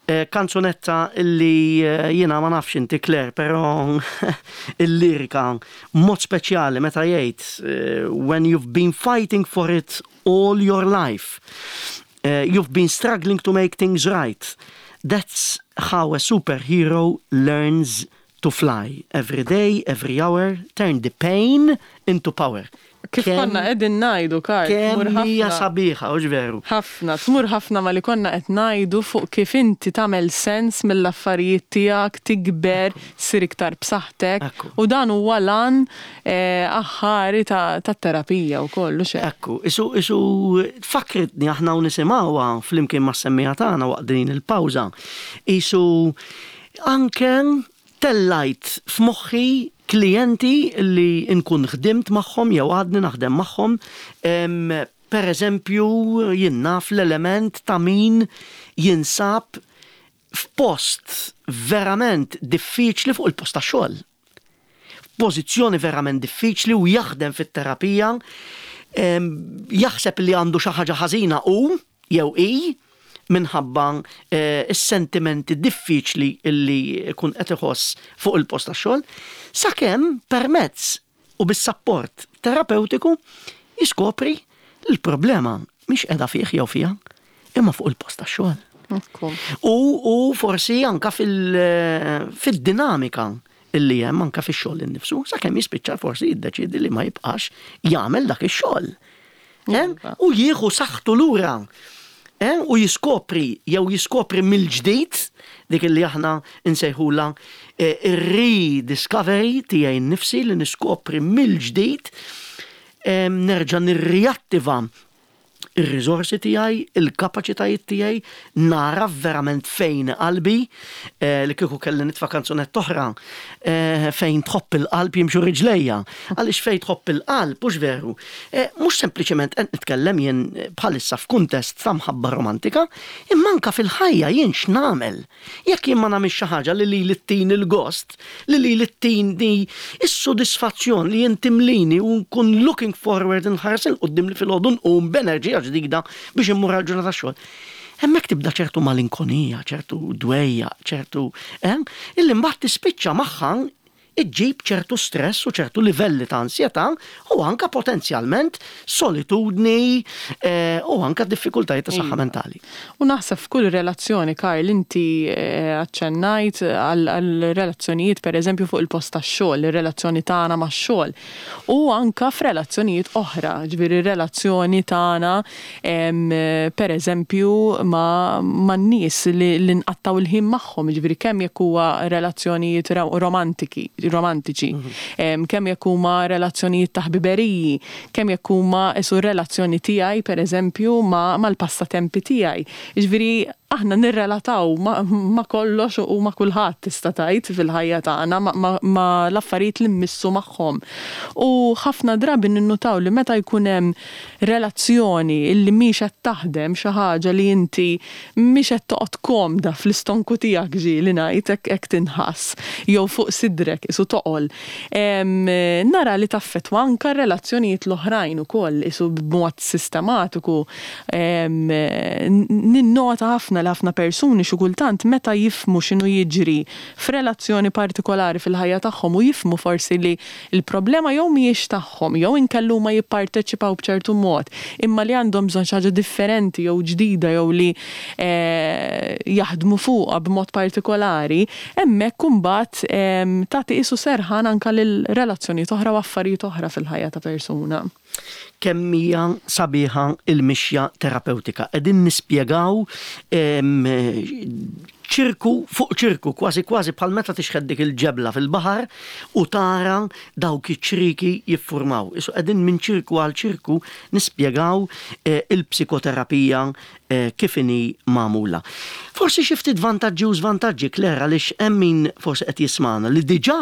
S1: eh, kanzunetta illi eh, jiena ma nafx inti Claire, però il-lirika mod speċjali meta jgħid eh, when you've been fighting for it all your life, eh, you've been struggling to make things right. That's how a superhero learns to fly. Every day, every hour, turn the pain into power.
S2: Kif
S1: Kemm-
S2: konna qegħdin ngħidu, Karl, tmur
S1: Kemm hija
S2: ħafna.
S1: sabiħa, hux veru.
S2: Ħafna, tmur ħafna ma li konna qed ngħidu fuq kif inti tagħmel sens mill-affarijiet tiegħek, tikber, ssir iktar b'saħħtek.
S1: Ekku.
S2: U dan huwa l-għan eh, aħħari ta' tat-terapija wkoll, u xejn.
S1: Ekku, isu, isu fakritni aħna u nisimgħuha flimkien mas-semmiegħa tagħna waqt din il-pawża. Isu anke tellajt f'moħħi klijenti li nkun ħdimt magħhom jew għadni naħdem magħhom, em, per eżempju jien naf l-element ta' min jinsab f'post verament diffiċli fuq il-post ta' xogħol. Pożizzjoni verament diffiċli u jaħdem fit-terapija, em, jaħseb li għandu xi ħaġa ħażina u jew i minħabba eh, is-sentimenti diffiċli illi jkun qed iħoss fuq il-post tax-xogħol, sakemm permezz u bis-sapport terapeutiku jiskopri li l-problema mhix qiegħda fih jew fiha, imma fuq il-post tax-xogħol.
S2: Ekku.
S1: U, u forsi anka fil- fil-dinamika illi hemm anka fix-xogħol innifsu, sakemm jispiċċa forsi jiddeċiedi li ma jibqax jagħmel dak ix-xogħol. Eh?
S2: Iva.
S1: U jieħu saħħtu lura. Eh? U jiskopri jew jiskopri mill-ġdid dik illi aħna nsejħula eh, ir-rediscovery tiegħi nnifsi li niskopri mill-ġdid eh, nerġa' nirriattiva ir-riżorsi tiegħi, il-kapaċitajiet tiegħi, nara verament fejn qalbi, eh, li kieku kelli nitfa' kanzunetta oħra, eh, fejn tħobb il-qalb jimxu riġlejja. Għaliex fejn tħobb il-qalb, mhux veru. Eh, mhux sempliċement qed nitkellem jien bħalissa f'kuntest ta' mħabba romantika, imma anka fil-ħajja jien x'nagħmel. Jekk jien ma nagħmilx xi ħaġa li li ttin il-gost, li li ttini is-sodisfazzjon li jien timlini u nkun looking forward nħares 'il quddiem li filgħodu nqum b'enerġija ġdida biex immur għal ġurnata xogħol. Hemmhekk tibda ċertu malinkonija, ċertu dwejja, ċertu, eh, illi mbagħad tispiċċa magħha iġġib ċertu stress u ċertu livelli ta' ansjetà u anka potenzjalment solitudni eh, u anka diffikultajiet ta' saħħa
S2: Iva.
S1: mentali.
S2: U naħseb f'kull relazzjoni, Karl, inti eh, aċċennajt għal għal relazzjonijiet per eżempju fuq il-post tax-xogħol, ir-relazzjoni tagħna max-xogħol. U anka f'relazzjonijiet oħra, ġifieri relazzjoni tagħna em, per eżempju ma' man-nies li, li nqattaw il-ħin magħhom, ġifieri kemm jekk huwa relazzjonijiet ro- romantiki, romantiċi, mm-hmm. kemm jekk huma relazzjonijiet ta' ħbiberiji, kemm jekk huma isu relazzjoni tiegħi, pereżempju, mal-passatempi tiegħi. Jiġifieri aħna nirrelataw ma, ma kollox u ma kulħadd, tista' tgħid, fil-ħajja tagħna, ma, ma, ma l-affarijiet li mmissu magħhom. U ħafna drabi ninnutaw li meta jkun hemm relazzjoni illi mhix qed taħdem, xi ħaġa li inti mhix qed toqgħod komda fl-istonku tiegħek, ġieli ngħid hekk, hekk tinħass jew fuq sidrek isu toqol. Nara li taffettwa anka relazzjonijiet l-oħrajn ukoll isu b'mod sistematiku. Ninnota ħafna li ħafna persuni xi kultant meta jifhmu x'inhu jiġri f'relazzjoni partikolari fil-ħajja tagħhom u jifhmu forsi li l-problema jew mhijiex tagħhom jew inkellu ma jipparteċipaw b'ċertu mod, imma li għandhom bżonn xi ħaġa differenti jew ġdida jew li eh, jaħdmu fuqha b'mod partikolari, hemmhekk imbagħad tagħti isu serħan anka lil relazzjonijiet oħra u affarijiet oħra fil-ħajja ta' persuna.
S1: Kemm hija sabiħa il-mixja terapeutika. Qegħdin nispjegaw ċirku fuq ċirku, kważi kważi bħal meta tixħet dik il-ġebla fil-baħar u tara dawk iċ-ċriki jiffurmaw. Isu qegħdin minn ċirku għal ċirku nispjegaw eh, il-psikoterapija eh, kif inhi magħmula. Forsi xi ftit vantaġġi u żvantaġġi, Claire, għaliex hemm min forsi qed jismana li diġà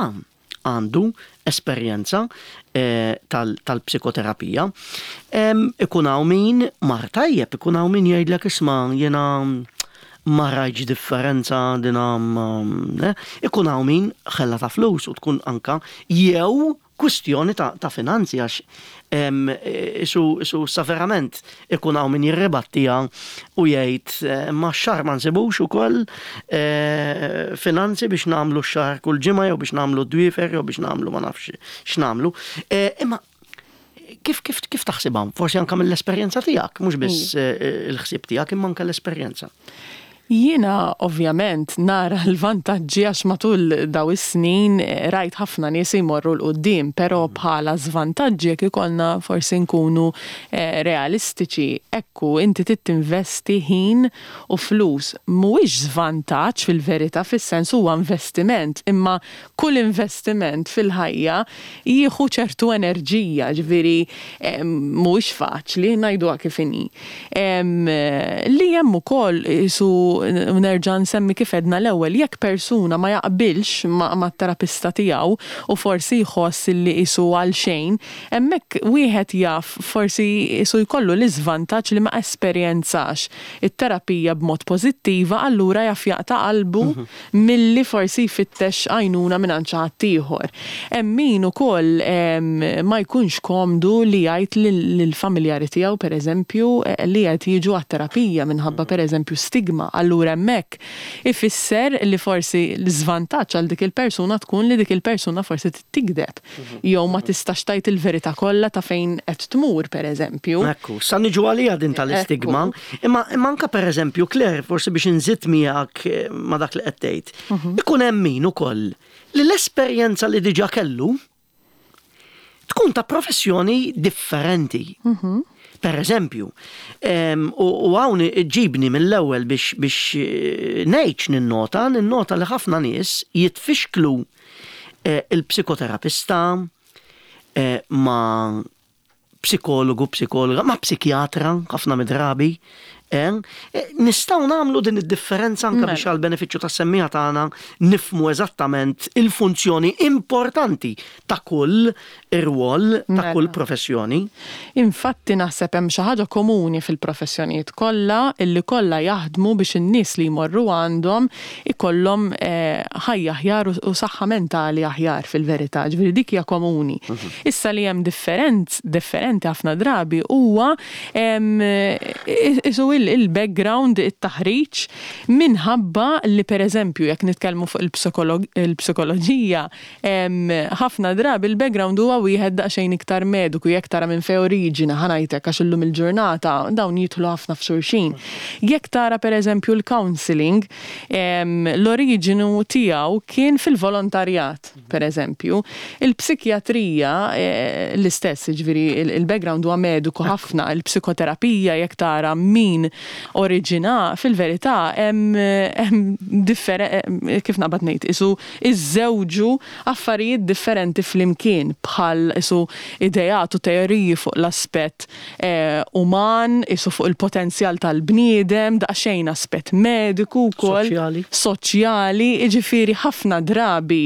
S1: għandu esperjenza eh, tal-psikoterapija. Ikun hawn min mar tajjeb, ikun hawn min jgħidlek, "Isma', jiena ma rajtx differenza dina." eh, Ikun hawn min ħella ta' flus u tkun anka jew kwistjoni ta', ta finanzi, għax isu, isu sa verament ikun hawn min jirribattija u jgħid, eh, ma xahar ma nsibux ukoll eh, finanzi biex nagħmlu x-xahar kull ġimgħa jew biex nagħmlu dwiefer jew biex nagħmlu ma nafx x'nagħmlu. Eh, imma kif kif kif taħsibha? Forsi anka mill-esperjenza tiegħek, mhux biss il-ħsieb tiegħek imma anke l-esperjenza.
S2: Jiena ovvjament nara l-vantaġġi għax matul daw is-snin rajt ħafna nies jmorru 'l quddiem, però bħala żvantaġġi, jekk ikollna forsi nkunu eh, realistiċi, ekku inti tinvesti ħin u flus. Mhuwiex żvantaġġ fil-verità, fis-sens huwa investiment, imma kull investiment fil-ħajja jieħu ċertu enerġija, ġifieri eh, mhuwiex faċli ngħiduha kif inhi. Li hemm ukoll isu nerġa' nsemmi kif għedna l-ewwel, jekk persuna ma jaqbilx ma' terapista tiegħu u forsi jħoss li isu għal xejn, hemmhekk wieħed jaf forsi isu jkollu l-iżvantaġġ li ma esperjenzax it-terapija b'mod pożittiva, allura jaf jaqta' qalbu mhm. milli forsi jfittex għajnuna minn xi ħadd ieħor. Hemm min ukoll ma jkunx komdu li jgħid lill-familjari tiegħu, pereżempju, li qed jiġu għat-terapija minħabba, pereżempju, stigma. Allura hemmhekk ifisser li forsi l-żvantaġġ għal dik il-persuna tkun li dik il-persuna forsi tigdeb mhm. jew ma tistax tgħid il-verità kollha ta' fejn qed tmur, pereżempju.
S1: Ekku, sa niġu għalija din tal-istigma, imma imma anka pereżempju, Claire, forsi biex inżid miegħek eh, ma dak li qed tgħid. Mhm. Ikun hemm min ukoll li l-esperjenza li diġà kellu tkun ta' professjoni differenti. Mhm. Per eżempju, u hawn ġibni mill-ewwel biex biex eh, ngħid ninnota, ninnota li ħafna nies jitfixklu eh, il-psikoterapista eh, ma' psikologu, psikologa, ma' psikjatra, ħafna mid-drabi. Nistgħu nagħmlu din id-differenza anka biex mela. għal benefiċċju tas-semmiegħa tagħna nifhmu eżattament il-funzjoni importanti ta' kull ir-rwol ta' mela. kull professjoni.
S2: Infatti naħseb hemm xi ħaġa komuni fil-professjonijiet kollha, illi kollha jaħdmu biex in-nies li jmorru għandhom ikollhom eh, ħajja aħjar u saħħa mentali aħjar fil-verità, ġifieri dik hija komuni. Mhm. Issa li hemm differenz differenti ħafna drabi huwa isu il-background, it-taħriġ, minħabba li, pereżempju, jekk nitkellmu fuq il-psikoloġija, ħafna drabi il-background huwa wieħed daqsxejn iktar mediku, jekk tara minn fej oriġina, ħa ngħidlek, għax illum il-ġurnata dawn jidħlu ħafna f'xulxin. Jekk tara, pereżempju, l-counseling, l-oriġinu tiegħu kien fil-volontarjat, pereżempju. Il-psikjatrija eh, l-istess, ġifieri il-background huwa mediku ħafna, il-psikoterapija jekk tara min oriġina fil-verità hemm kif naqbad ngħid, isu iżżewġu affarijiet differenti flimkien bħal isu ideat u teoriji fuq l-aspett eh, uman, isu fuq il-potenzjal tal-bniedem, daqsxejn aspett mediku wkoll,
S1: soċjali,
S2: soċjali, jiġifieri ħafna drabi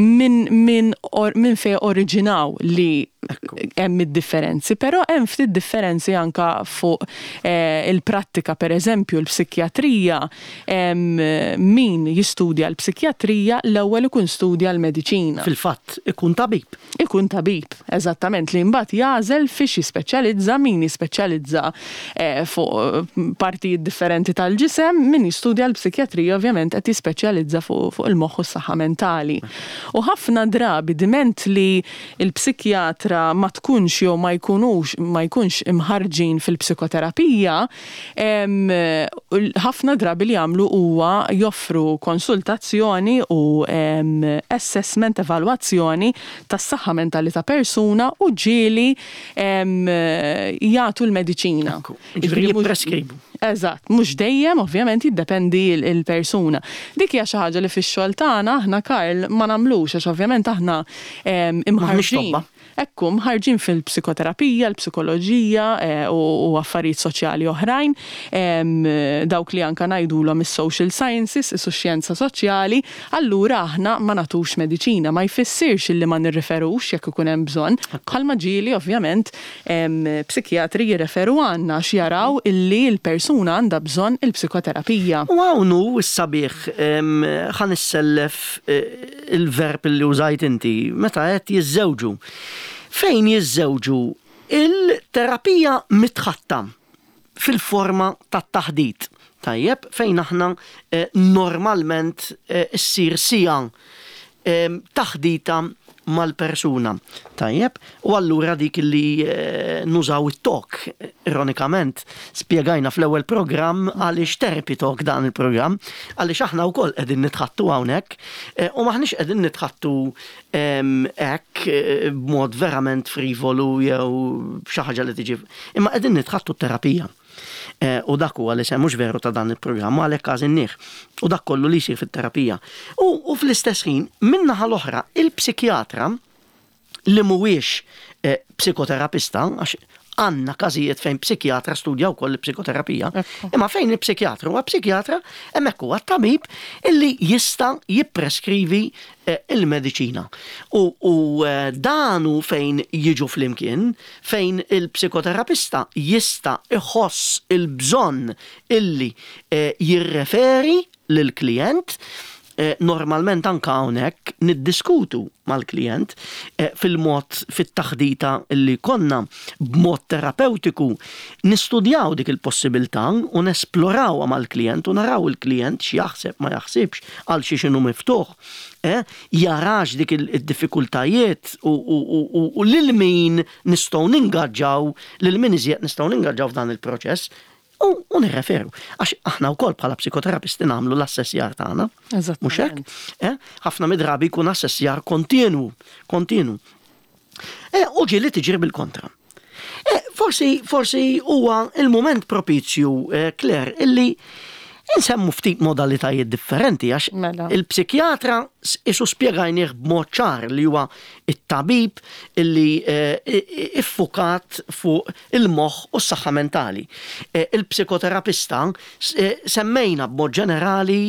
S2: minn min, min fejn oriġinaw li hemm id-differenzi, però hemm ftit differenzi anka fuq eh, il-prattika, per eżempju l-psikjatrija, min jistudja l-psikjatrija l-ewwel ikun studja l-mediċina.
S1: Fil-fatt ikun tabib.
S2: Ikun tabib, eżattament, li mbagħad jagħżel fiex jispeċjalizza, min jispeċjalizza eh, fuq partijiet differenti tal-ġisem, min jistudja l-psikjatrija ovvjament qed jispeċjalizza fuq fu il-moħħ u s-saħħa mentali. U ħafna drabi diment li l-psikjatra ma tkunx jew ma jkunux ma jkunx imħarġin fil-psikoterapija, ħafna drabi li jagħmlu huwa joffru konsultazzjoni u assessment, evalwazzjoni tas-saħħa mentali ta' persuna u ġieli jagħtu l-mediċina.
S1: Ġifieri jippreskribu.
S2: Eżatt, mhux dejjem ovvjament jiddependi il-persuna. Dik hija xi ħaġa li fix-xogħol tagħna aħna, Karl, ma nagħmlux għax ovvjament aħna imħarġin. Ekku, mħarġin fil-psikoterapija, l-psikoloġija eh, u affarijiet soċjali oħrajn, dawk li anka ngħidulhom is-social sciences, isu xjenza soċjali, allura aħna ma nagħtux mediċina, ma jfissirx illi ma nirriferux jekk ikun hemm bżonn. Bħalma ġieli ovvjament psikjatri jirreferu għandna x'jaraw illi l-persuna għandha bżonn il-psikoterapija.
S1: U hawn hu s-sabiħ, ħa nissellef eh, il-verb li użajt inti, meta qed jiżżewġu. Fejn jiżżewġu il-terapija mitħatta fil-forma tat-taħdit. Tajjeb, fejn aħna eh, normalment eh, issir sija eh, taħdita mal-persuna. Tajjeb, u allura dik li eh, nużaw it-talk, ironikament, spjegajna fl-ewwel programm għaliex therapy talk dan il-programm, għaliex aħna wkoll qegħdin nitħattu hawnhekk, eh, u maħniex qegħdin nitħattu hekk eh, b'mod verament frivolu jew xi ħaġa li tiġi, imma qegħdin nitħattu terapija. U dak huwa li mhux veru ta' dan il-programm għalhekk għażinnieh. U dak kollu li jsir fit-terapija. U fl-istess ħin, min-naħa l-oħra, il-psikjatra li mhuwiex psikoterapista, għax għandna każijiet fejn psikjatra studja wkoll il-psikoterapija, imma fejn il-psikjatra huwa psikjatra, hemmhekk huwa tabib illi jista' jippreskrivi il-mediċina. U dan hu fejn jiġu flimkien, fejn il-psikoterapista jista' iħoss il-bżonn illi jirreferi lill-klijent. Normalment anka hawnhekk niddiskutu mal-klijent fil-mod fit-taħdita li konna b'mod terapeutiku nistudjaw dik il-possibilità u nesplorawha mal-klijent u naraw il-klijent x'jaħseb ma jaħsibx għal xi x'inhu miftuħ, jarax dik id-diffikultajiet u lil min nistgħu ningaġġaw, lil min iżjed nistgħu ningaġġaw f'dan il-proċess. U nirreferu, għax aħna wkoll bħala psikoterapisti nagħmlu l-assessjar tagħna. Mhux hekk? Ħafna mid-drabi jkun assessjar kontinu, kontinu. U ġieli tiġri bil-kontra. Forsi, forsi huwa il-moment propizju, Claire, illi insemmu ftit modalitajiet differenti, għax il-psikjatra isu spjegajnieh b'mod ċar li huwa it-tabib illi iffukat fuq il-moħħ u s-saħħa mentali. Il-psikoterapista semmejna b'mod ġenerali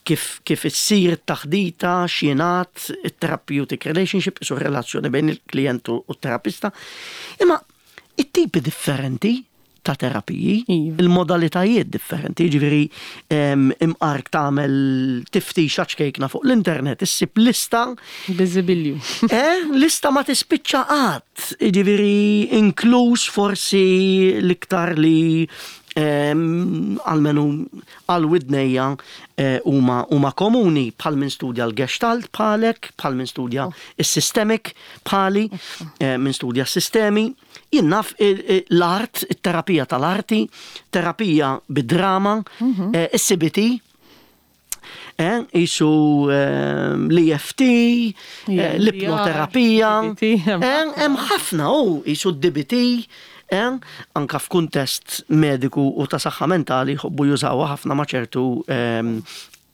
S1: kif kif issir it-taħdita, x'jingħad, it-therapeutic relationship, isu relazzjoni bejn il-klijent u t-terapista. Imma it-tipi differenti ta' terapiji, il-modalitajiet differenti, ġifieri imqark tagħmel tiftix ċkejkna fuq l-internet, issib lista.
S2: Biżibilju.
S1: Eh, lista ma tispiċċa qatt, ġifieri inkluż forsi l-iktar li għalmenu għal widnejja huma huma komuni bħal min studja l-Gestalt bħalek, bħal min studja is-systemic bħali, min studja s-sistemi. Jien naf l-art, it-terapija tal-arti, terapija bid-drama, is-C B T, isu l-E F T, l-ipnoterapija, hemm ħafna u isu d-D B T, eh, anka f'kuntest mediku u ta' saħħa mentali jħobbu jużawha ħafna ma' ċertu ehm,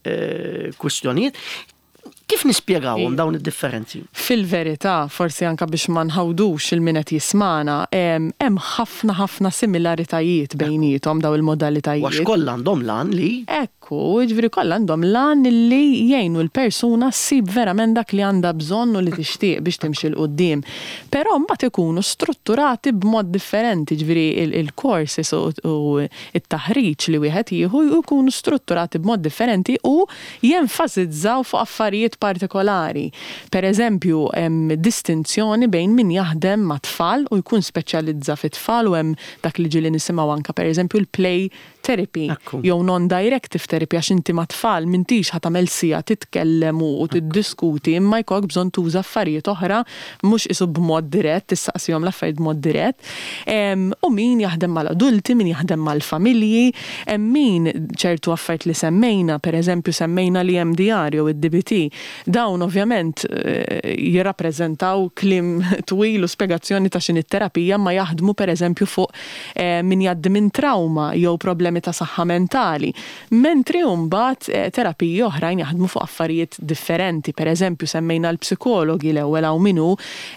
S1: eh, kwistjonijiet. Kif nispjegawhom dawn id-differenzi?
S2: Fil-verità, forsi anka biex ma nħawdux lil min qed jismagħna, hemm ħafna ħafna similaritajiet bejniethom daw il-modalitajiet.
S1: Għax kollha għandhom l-għan li
S2: Ekku, ġifieri kollha għandhom l-għan li jgħinu l-persuna ssib verament dak li għandha bżonn u li tixtieq biex timxi 'l quddiem. Però mbagħad ikunu strutturati b'mod differenti, ġifieri il-courses u it-taħriġ li wieħed jieħu jkunu strutturati b'mod differenti u jenfasizzaw fuq affarijiet partikolari. Per eżempju, hemm distinzjoni bejn min jaħdem ma' tfal u jkun speċjalizza fit-tfal u hemm dak li ġieli nisimgħu anka per eżempju l-play therapy
S1: Ekku.
S2: jew non-directive therapy, għax inti ma' tfal m'intix ħa tagħmel siegħa titkellem u tiddiskuti, imma jkollok bżonn tuża affarijiet oħra, mhux isu b'mod dirett, tistaqsihom l-affarijiet b'mod dirett. Em, U min jaħdem mal-adulti, min jaħdem mal-familji, hemm min ċertu affarijiet li semmejna, per eżempju semmejna l-E M D R jew id-D B T, dawn ovvjament eh, jirrappreżentaw kliem twil u spjegazzjoni ta' x'inhi terapija, ma jaħdmu per eżempju fuq eh, min jgħaddi minn trauma jew problemi ta' saħħa mentali. Mentri mbagħad eh, terapiji oħrajn jaħdmu fuq affarijiet differenti. Per eżempju semmejna l-psikologi l-ewwel, hawn min hu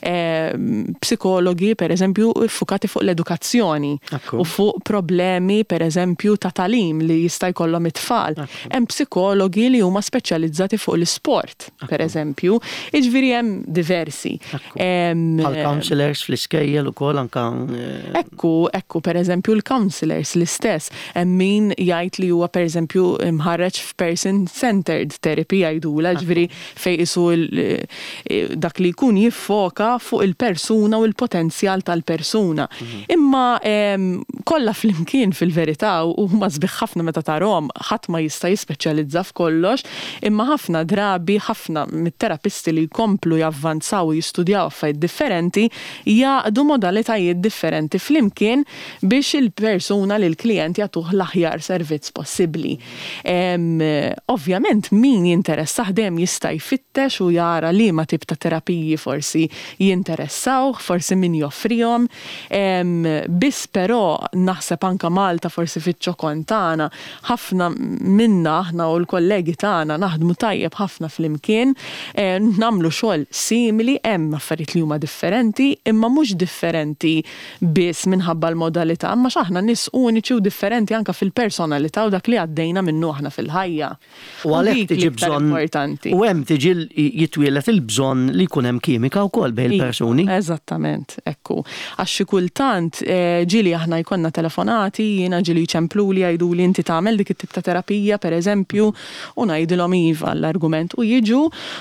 S2: eh, psikologi per eżempju fukati fuq l-edukazzjoni
S1: Ekku.
S2: u fuq problemi per eżempju ta' tagħlim li jista' jkollhom it-tfal. Hemm psikologi li huma speċjalizzati fuq l-isport, per eżempju. Jiġifieri hemm diversi. Em,
S1: Bħal counselors fl-iskejjel ukoll anka eh,
S2: Ekku, ekku, per eżempju, l-counselors l-istess. Hemm min jgħid li huwa per eżempju mħarreġ f'person-centered therapy jgħidula, ġifieri fej isu il- eh, dak li jkun jiffoka fuq il-persuna u il-potenzjal tal-persuna. Imma em, kollha flimkien fil-verità u huma sbieħ ħafna meta tarahom, ħadd ma jista' jispeċjalizza f'kollox, imma ħafna drabi ħafna mit-terapisti li jkomplu javvanzaw u jistudjaw affarijiet differenti jgħaqqdu modalitajiet differenti flimkien biex il-persuna li l-klient jagħtuh l-aħjar servizz possibbli. Em, Ovvjament min jinteressah dejjem jista' jfittex u jara li ma tip ta' terapiji forsi jinteressawh, forsi min joffrihom. Em, Biss però naħseb anka Malta, forsi fiċ-ċokon tagħna, ħafna minna aħna u l-kollegi tagħna naħdmu tajjeb ħafna flimkien, eh, nagħmlu xogħol simili, hemm affarijiet li huma differenti, imma mhux differenti biss minħabba l-modalità, imma x'aħna nies uniċi u differenti anka fil-personalità u dak li għaddejna minnu aħna fil-ħajja.
S1: U għalhekk
S2: dik
S1: tiġi
S2: l-iktar
S1: bżonn
S2: importanti.
S1: U hemm tiġi l- jitwielet il-bżonn li jkun hemm kimika wkoll bejn il-persuni.
S2: Eżattament, ekku. Għax xi kultant eh, ġieli aħna jkollna telefonati, jiena ġieli jċempluli, jgħiduli, "Inti tagħmel dik it-tip ta' terapija?" per eżempju, u ngħidilhom iva l-argument u jiġu,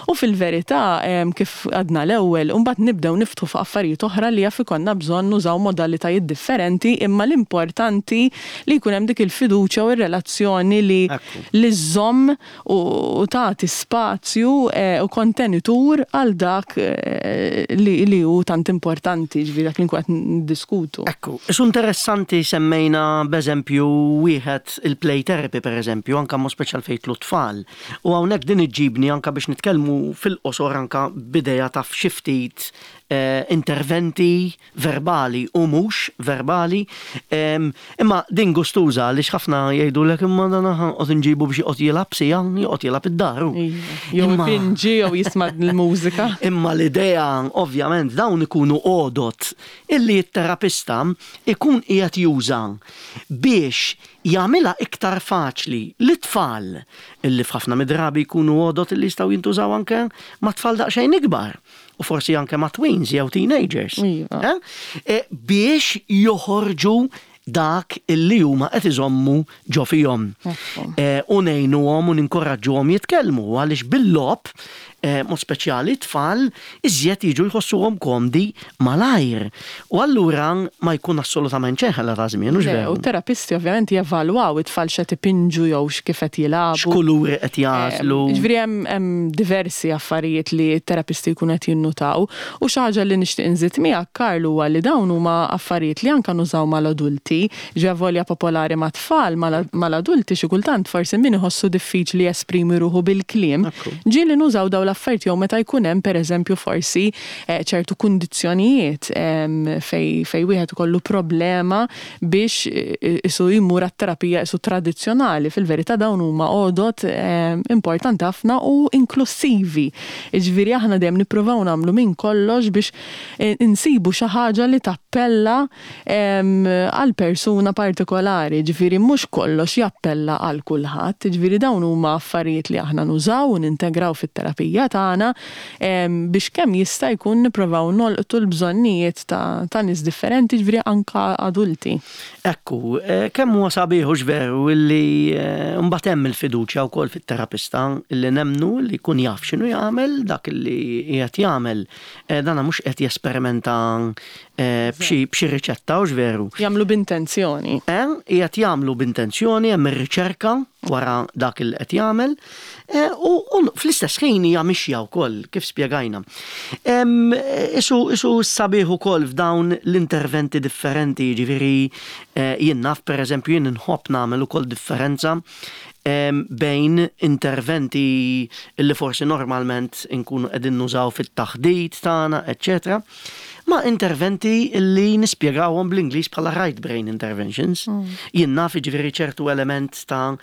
S2: u fil-verità em, kif għadna l-ewwel, u mbagħad nibdew niftħu fuq affarijiet oħra li jaf ikollna bżonn nużaw modalitajiet differenti, imma l-importanti li jkun hemm dik il-fiduċja u r-relazzjoni li
S1: Ekku.
S2: li żżomm u u tagħti spazju eh, u kontenitur għal dak eh, li, li hu tant importanti, ġifieri dak li nkun qed niddiskutu.
S1: Ekku, isu interessanti semmejna b'eżempju wieħed, il-play therapy per eżempju, anka mo speċjal fejn l-tfal. U hawnhekk din iġġibni anka biex nitkellmu fil-qosor anka b'idea ta' xi ftit eh, interventi verbali u mhux verbali. Em, imma din gustuża għaliex ħafna jgħidulek, "Imma dan qed nġibu biex joqgħod jilgħab siegħa, joqgħod jilgħab id-dar."
S2: Iva. Jew
S1: Imma-
S2: ipinġi jew jisma' l-mużika.
S1: Imma l-idea, ovvjament, dawn ikunu għodot illi t-terapista ikun qiegħed juża biex jagħmilha iktar faċli lit-tfal, illi f'ħafna mid-drabi jkunu għodot illi jistgħu jintużaw anke ma' tfal daqsxejn ikbar u forsi anke ma' tweens jew teenagers.
S2: Iva.
S1: Eh? Eh, biex joħorġu dak illi huma qed iżommu ġo fihom.
S2: Ekku.
S1: Eh, u ngħinuhom u ninkoraġġuhom jitkellmu, għaliex bil-logħob, eh, mod speċjali tfal, iżjed jiġu jħossuhom komdi malajr. U allura ma jkun assolutament xejn ħela ta' żmien, hux
S2: Le,
S1: veru?
S2: u terapisti ovvjament jevalwaw it-tfal x'qed ipinġu jew x'kif qed jilagħbu.
S1: X'kuluri qed jagħżlu.
S2: Ġifieri hemm hemm diversi affarijiet li t-terapisti jkunu qed jinnutaw, u xi ħaġa li nixtieq inżid miegħek, Karl, huwa li dawn huma affarijiet li anke nużaw mal-adulti, ġa volja popolari mat-tfal, mal-adulti xi kultant forsi min iħossu diffiċli jesprimi ruħu bil-kliem.
S1: Ekku.
S2: Ġieli nużaw dawn dawn l-affarijiet jew meta jkun hemm pereżempju forsi eh, ċertu kundizzjonijiet fej fej wieħed ikollu problema biex eh, isu jmur għat-terapija isu tradizzjonali. Fil-verità dawn huma għodot importanti ħafna u inklusivi. Jiġifieri aħna dejjem nippruvaw nagħmlu minn kollox biex eh, insibu xi ħaġa li tappella għal persuna partikolari, ġifieri mhux kollox jappella għal kulħadd, ġifieri dawn huma affarijiet li aħna nużaw u nintegraw fit-terapija tagħna biex kemm jista' jkun nippruvaw nolqtu l-bżonnijiet ta', ta' nies differenti, ġifieri anka adulti.
S1: Ekku, eh, kemm huwa sabiħ veru illi eh, mbagħad hemm il-fiduċja wkoll fit-terapista illi nemnu li jkun jaf x'inhu jagħmel dak illi qiegħed jagħmel. Eh, dana mhux qed jesperimenta b'xi riċetta u veru.
S2: Jagħmlu b'intenzjoni.
S1: Qiegħed jagħmlu b'intenzjoni, hemm ir-riċerka wara dak il qed jagħmel u fl-istess ħin hija mixja wkoll kif spjegajna. Isu isu sabiħ ukoll f'dawn l-interventi differenti, jiġifieri jien naf pereżempju jien inħobb nagħmel ukoll differenza bejn interventi li forsi normalment inkunu qegħdin nużaw fit-taħdit tagħna, eċċetera, ma' interventi li nispjegawhom bl-Ingliż bħala right brain interventions. Mm. Jien naf jiġifieri ċertu element ta'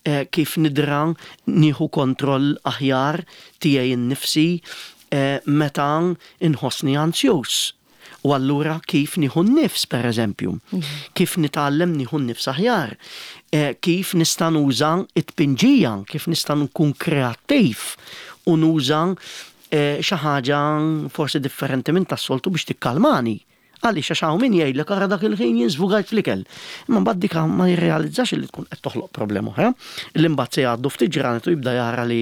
S1: eh, kif nidra nieħu kontroll aħjar tiegħi nnifsi eh, meta inħossni ansjus. U allura kif nieħu n-nifs, per eżempju, mm. kif nitgħallem nieħu n-nifs aħjar, eh, kif nista' nuża it-tpinġija, kif nista' nkun kreattiv u nuża eh, xi ħaġa forsi differenti minn tas-soltu biex tikkalmani. Għaliex għax hawn min jgħidlek ara dak il-ħin jien żvugajt fl-ikel. Imma mbagħad dik ma jirrealizzax li tkun qed toħloq problema oħra. Li mbagħad se jgħaddu ftit ġranet u jibda jara li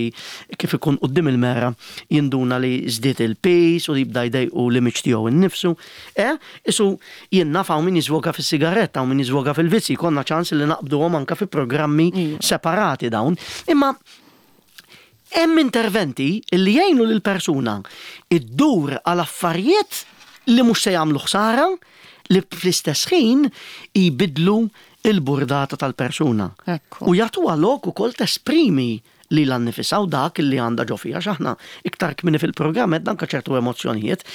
S1: kif ikun quddiem il-mera jinduna li żdied il-piż u jibda jdejqu l-image tiegħu innifsu. Eh, isu jien naf hawn min jiżvoga fis-sigaretta, hawn min jiżvoga fil-vizzi, konna ċans li naqbduhom anke fi programmi separati dawn. Imma hemm interventi li jgħinu lil persuna iddur għal affarijiet li mhux se jagħmlu ħsara li fl-istess ħin jbidlu il-burdata tal-persuna. U jagħtuha lok ukoll tesprimi li l-annifisa u dak li għandha ġo fiha x'aħna iktar kmieni fil-programm qed anke ċertu emozzjonijiet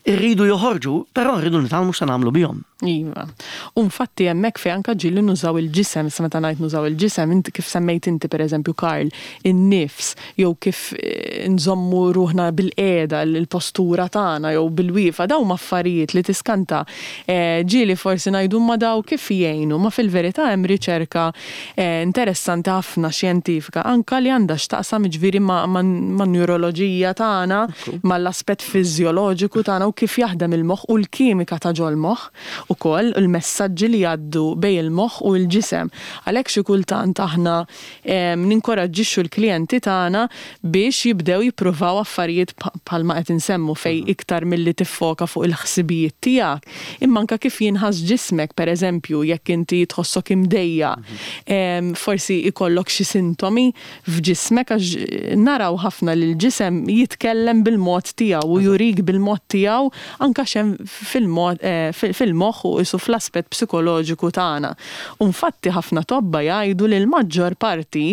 S1: irridu joħorġu, però rridu nitgħallmu se nagħmlu bihom.
S2: Iva. U infatti hemmhekk fejn anke ġieli nużaw il-ġisem, sa meta ngħid nużaw il-ġisem, inti kif semmejt inti pereżempju Karl, in-nifs, jew kif eh, nżommu ruħna bil-qiegħda, l-postura tagħna jew bil-wieqfa, dawn affarijiet li tiskanta eh, ġieli forsi ngħidu ma daw kif jgħinu, ma fil-verità hemm riċerka eh, interessanti ħafna xjentifika anka li għandha x'taqsam ġifieri ma' man-neuroloġija tagħna, mal-aspett fiżjoloġiku tagħna u kif jaħdem il-moħħ u l-kimika ta' ġol-moħħ ukoll il-messaġġi li jgħaddu bejn il-moħħ u l-ġisem. Għalhekk xi kultant aħna ninkoraġġixxu l-klijenti tagħna biex jibdew jippruvaw affarijiet bħalma qed insemmu fej mhm. iktar milli tiffoka fuq il-ħsibijiet tiegħek. Imma anke kif jinħass ġismek, pereżempju, jekk inti tħossok imdejja, mhm. forsi ikollok xi sintomi f'ġismek għax naraw ħafna li l-ġisem jitkellem bil-mod tiegħu u jurik bil-mod tiegħu anke x'hemm eh, fil-moħħ u isu fl-aspett psikoloġiku tagħna. U infatti ħafna tobba jgħidu li l-maġġor parti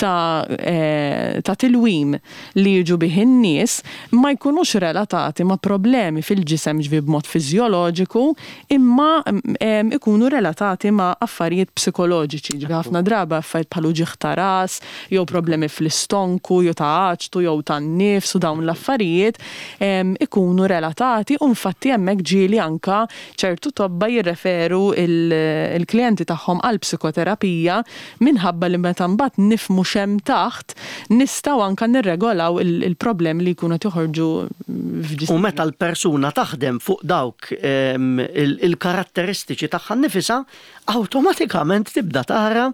S2: ta', eh, ta' tilwim li jiġu bih in-nies ma jkunux relatati ma' problemi fil-ġisem ġvi b'mod fiżjoloġiku imma ikunu relatati ma' affarijiet psikoloġiċi. Ġvi ħafna drabi affarijiet bħal uġigħ ta' ras, jew problemi fl-istonku, jew ta' aċtu, jew tan-nifs u dawn l-affarijiet ikunu relatati u infatti hemmhekk ġieli anka ċertu tobba jirreferu il-klijenti tagħhom għal psikoterapija minħabba li meta mbagħad nifhmu x'hemm taħt nistgħu anka nirregolaw il-problemi li jkunu joħorġu
S1: f'ġisem. U meta l-persuna taħdem fuq dawk il-karatteristiċi tagħha nnifisha, awtomatikament tibda tara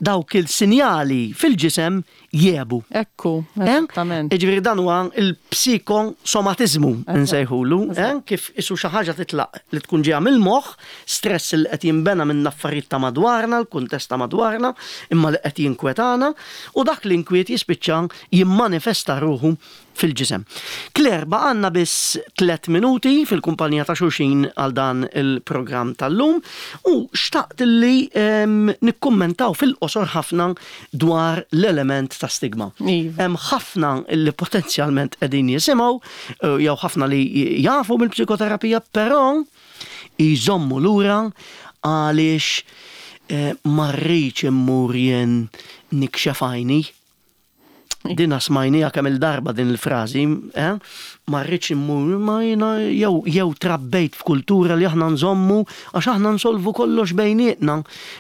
S1: dawk il-sinjali fil-ġisem jiebu.
S2: Ekku, esattament.
S1: Ġifieri dan huwa il-psikosomatiżmu nsejħulu, kif isu xi ħaġa titlaq li tkun ġejja mill-moħħ, stress li qed jinbena minn affarijiet ta' madwarna, l-kuntest ta' madwarna, imma li qed jinkwetana, u dak l-inkwiet jispiċċa jimmanifesta ruħu fil-ġisem. Claire, baqgħalna biss tliet minuti fil-kumpanija ta' xulxin għal dan il-programm tal-lum u xtaqt li em, nikkummentaw fil-qosor ħafna dwar l-element ta' stigma.
S2: Iva.
S1: Hemm ħafna li potenzjalment qegħdin jisimgħu eh, jew ħafna li jafu bil-psikoterapija, però jżommu lura għaliex eh, ma rridx immur jien nikxef għajni. Dina smajnija kemm il-darba din il-frażi, eh? Ma rridx immur, ma jiena jew jew trabbejt f'kultura li aħna nżommu għax aħna nsolvu kollox bejnietna,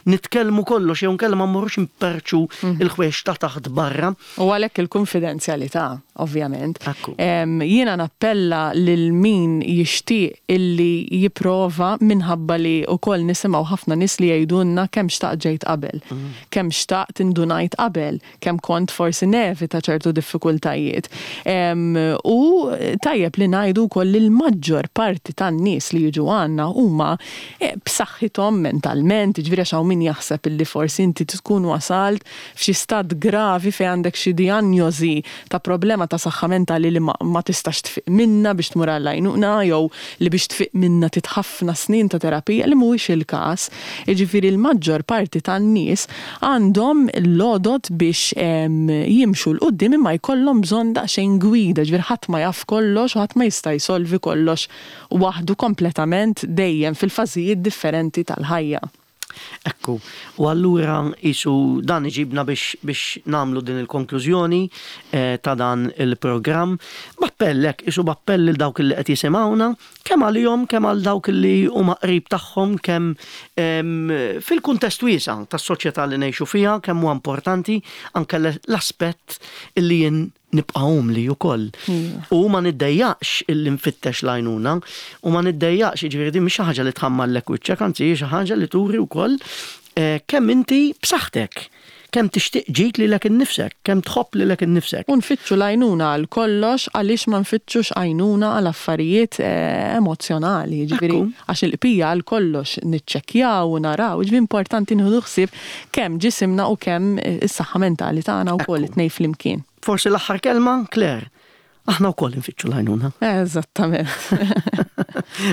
S1: nitkellmu kollox jew nkella ma mmorrux imperċu il-ħwejjeġ ta' taħt barra.
S2: U għalhekk il-konfidenzjalità, ovvjament.
S1: Ekku.
S2: Em, Jiena nappella lil min jixtieq illi jipprova, minħabba li wkoll nisimgħu ħafna nies li jgħidulna kemm xtaqt ġejt qabel, kemm xtaqt indunajt qabel, kemm kont forsi nevita ċertu diffikultajiet. Em, U tajjeb li ngħidu wkoll li l-maġġor parti tan-nies li jiġu għandna huma eh, b'saħħithom mentalment, ġifieri għax hawn min jaħseb illi forsi inti tkun wasalt f'xi stat gravi fejn għandek xi dijanjosi ta' problema ta' saħħa mentali li ma, ma tistax tfiq minna biex tmur għall-għajnuna jew li biex tfiq minna trid ħafna snin ta' terapija, li mhuwiex il-każ. Jiġifieri l-maġġor parti tan-nies għandhom l-għodod biex em, jimxu 'l quddiem, imma jkollhom bżonn daqsxejn gwida, ġifieri ħadd ma jaf kollox u ħadd ma jista' jsolvi kollox waħdu kompletament dejjem fil-fażijiet differenti tal-ħajja.
S1: Ekku, u allura isu dan iġibna biex, biex nagħmlu din il-konklużjoni eh, ta' dan il-programm. B'appell, isu b'appell lil dawk li qed jisimgħuna, kemm għalihom, kemm għal dawk li huma qrib tagħhom, kemm em, fil-kuntest wiesa' tas-soċjetà li ngħixu fiha, kemm huwa importanti anke l-aspett illi jien nibqa' umli wkoll. U ma niddejjaqx illi nfittex l-għajnuna u ma niddejjaqx, jiġifieri din mhix xi ħaġa li tħammarlek wiċċek, anzi hi xi ħaġa li turi wkoll eh, kemm inti b'saħħtek, kemm tixtieq ġid lilek innifsek, kemm tħobb lilek innifsek.
S2: U nfittxu l-għajnuna għal kollox, għaliex ma nfittxux għajnuna għal affarijiet eh, emozjonali, ġifieri
S1: Ekku.
S2: għax il-qbija għal kollox niċċekkjaw u naraw, ġifieri importanti nieħdu ħsieb kemm ġisimna u kemm eh, is-saħħa mentali tagħna wkoll,
S1: Ekku.
S2: it-tnejn flimkien.
S1: Forsi l-aħħar kelma, Claire, aħna wkoll nfittxu l-għajnuna.
S2: Eżattament.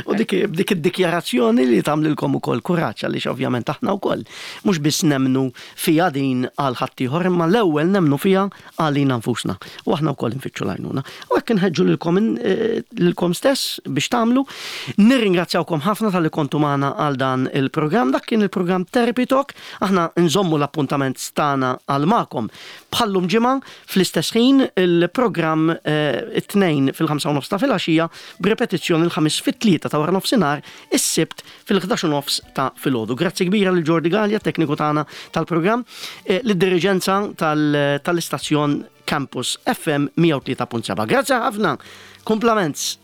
S1: U dik dik id-dikjarazzjoni li tagħmlilkom ukoll kuraġġ, għaliex ovvjament aħna wkoll mhux biss nemnu fija din għal ħaddieħor, imma l-ewwel nemnu fija għalina nfusna. U aħna wkoll nfittxu l-għajnuna. U hekk inħeġġu lilkom in- eh, lilkom stess biex tagħmlu. Nirringrazzjawkom ħafna talli kontu magħna għal dan il-programm. Dak kien il-programm Therapy Talk. Aħna nżommu l-appuntament tagħna għal magħkom. Bħal-lum ġimgħa fl-istess ħin, il-programm eh, it-Tnejn fil-ħamsa u nofs ta' filgħaxija, b'repetizzjoni il-Ħamis fit-tlieta ta' wara nofsinhar, is-Sibt fil-ħdax u nofs ta' filgħodu. Grazzi kbira lil Jordi Gallia, tekniku tagħna tal-programm, eh, lid-diriġenza tal- tal-istazzjon Campus F M mija u tlieta punt seba'. Grazzi ħafna. Compliments.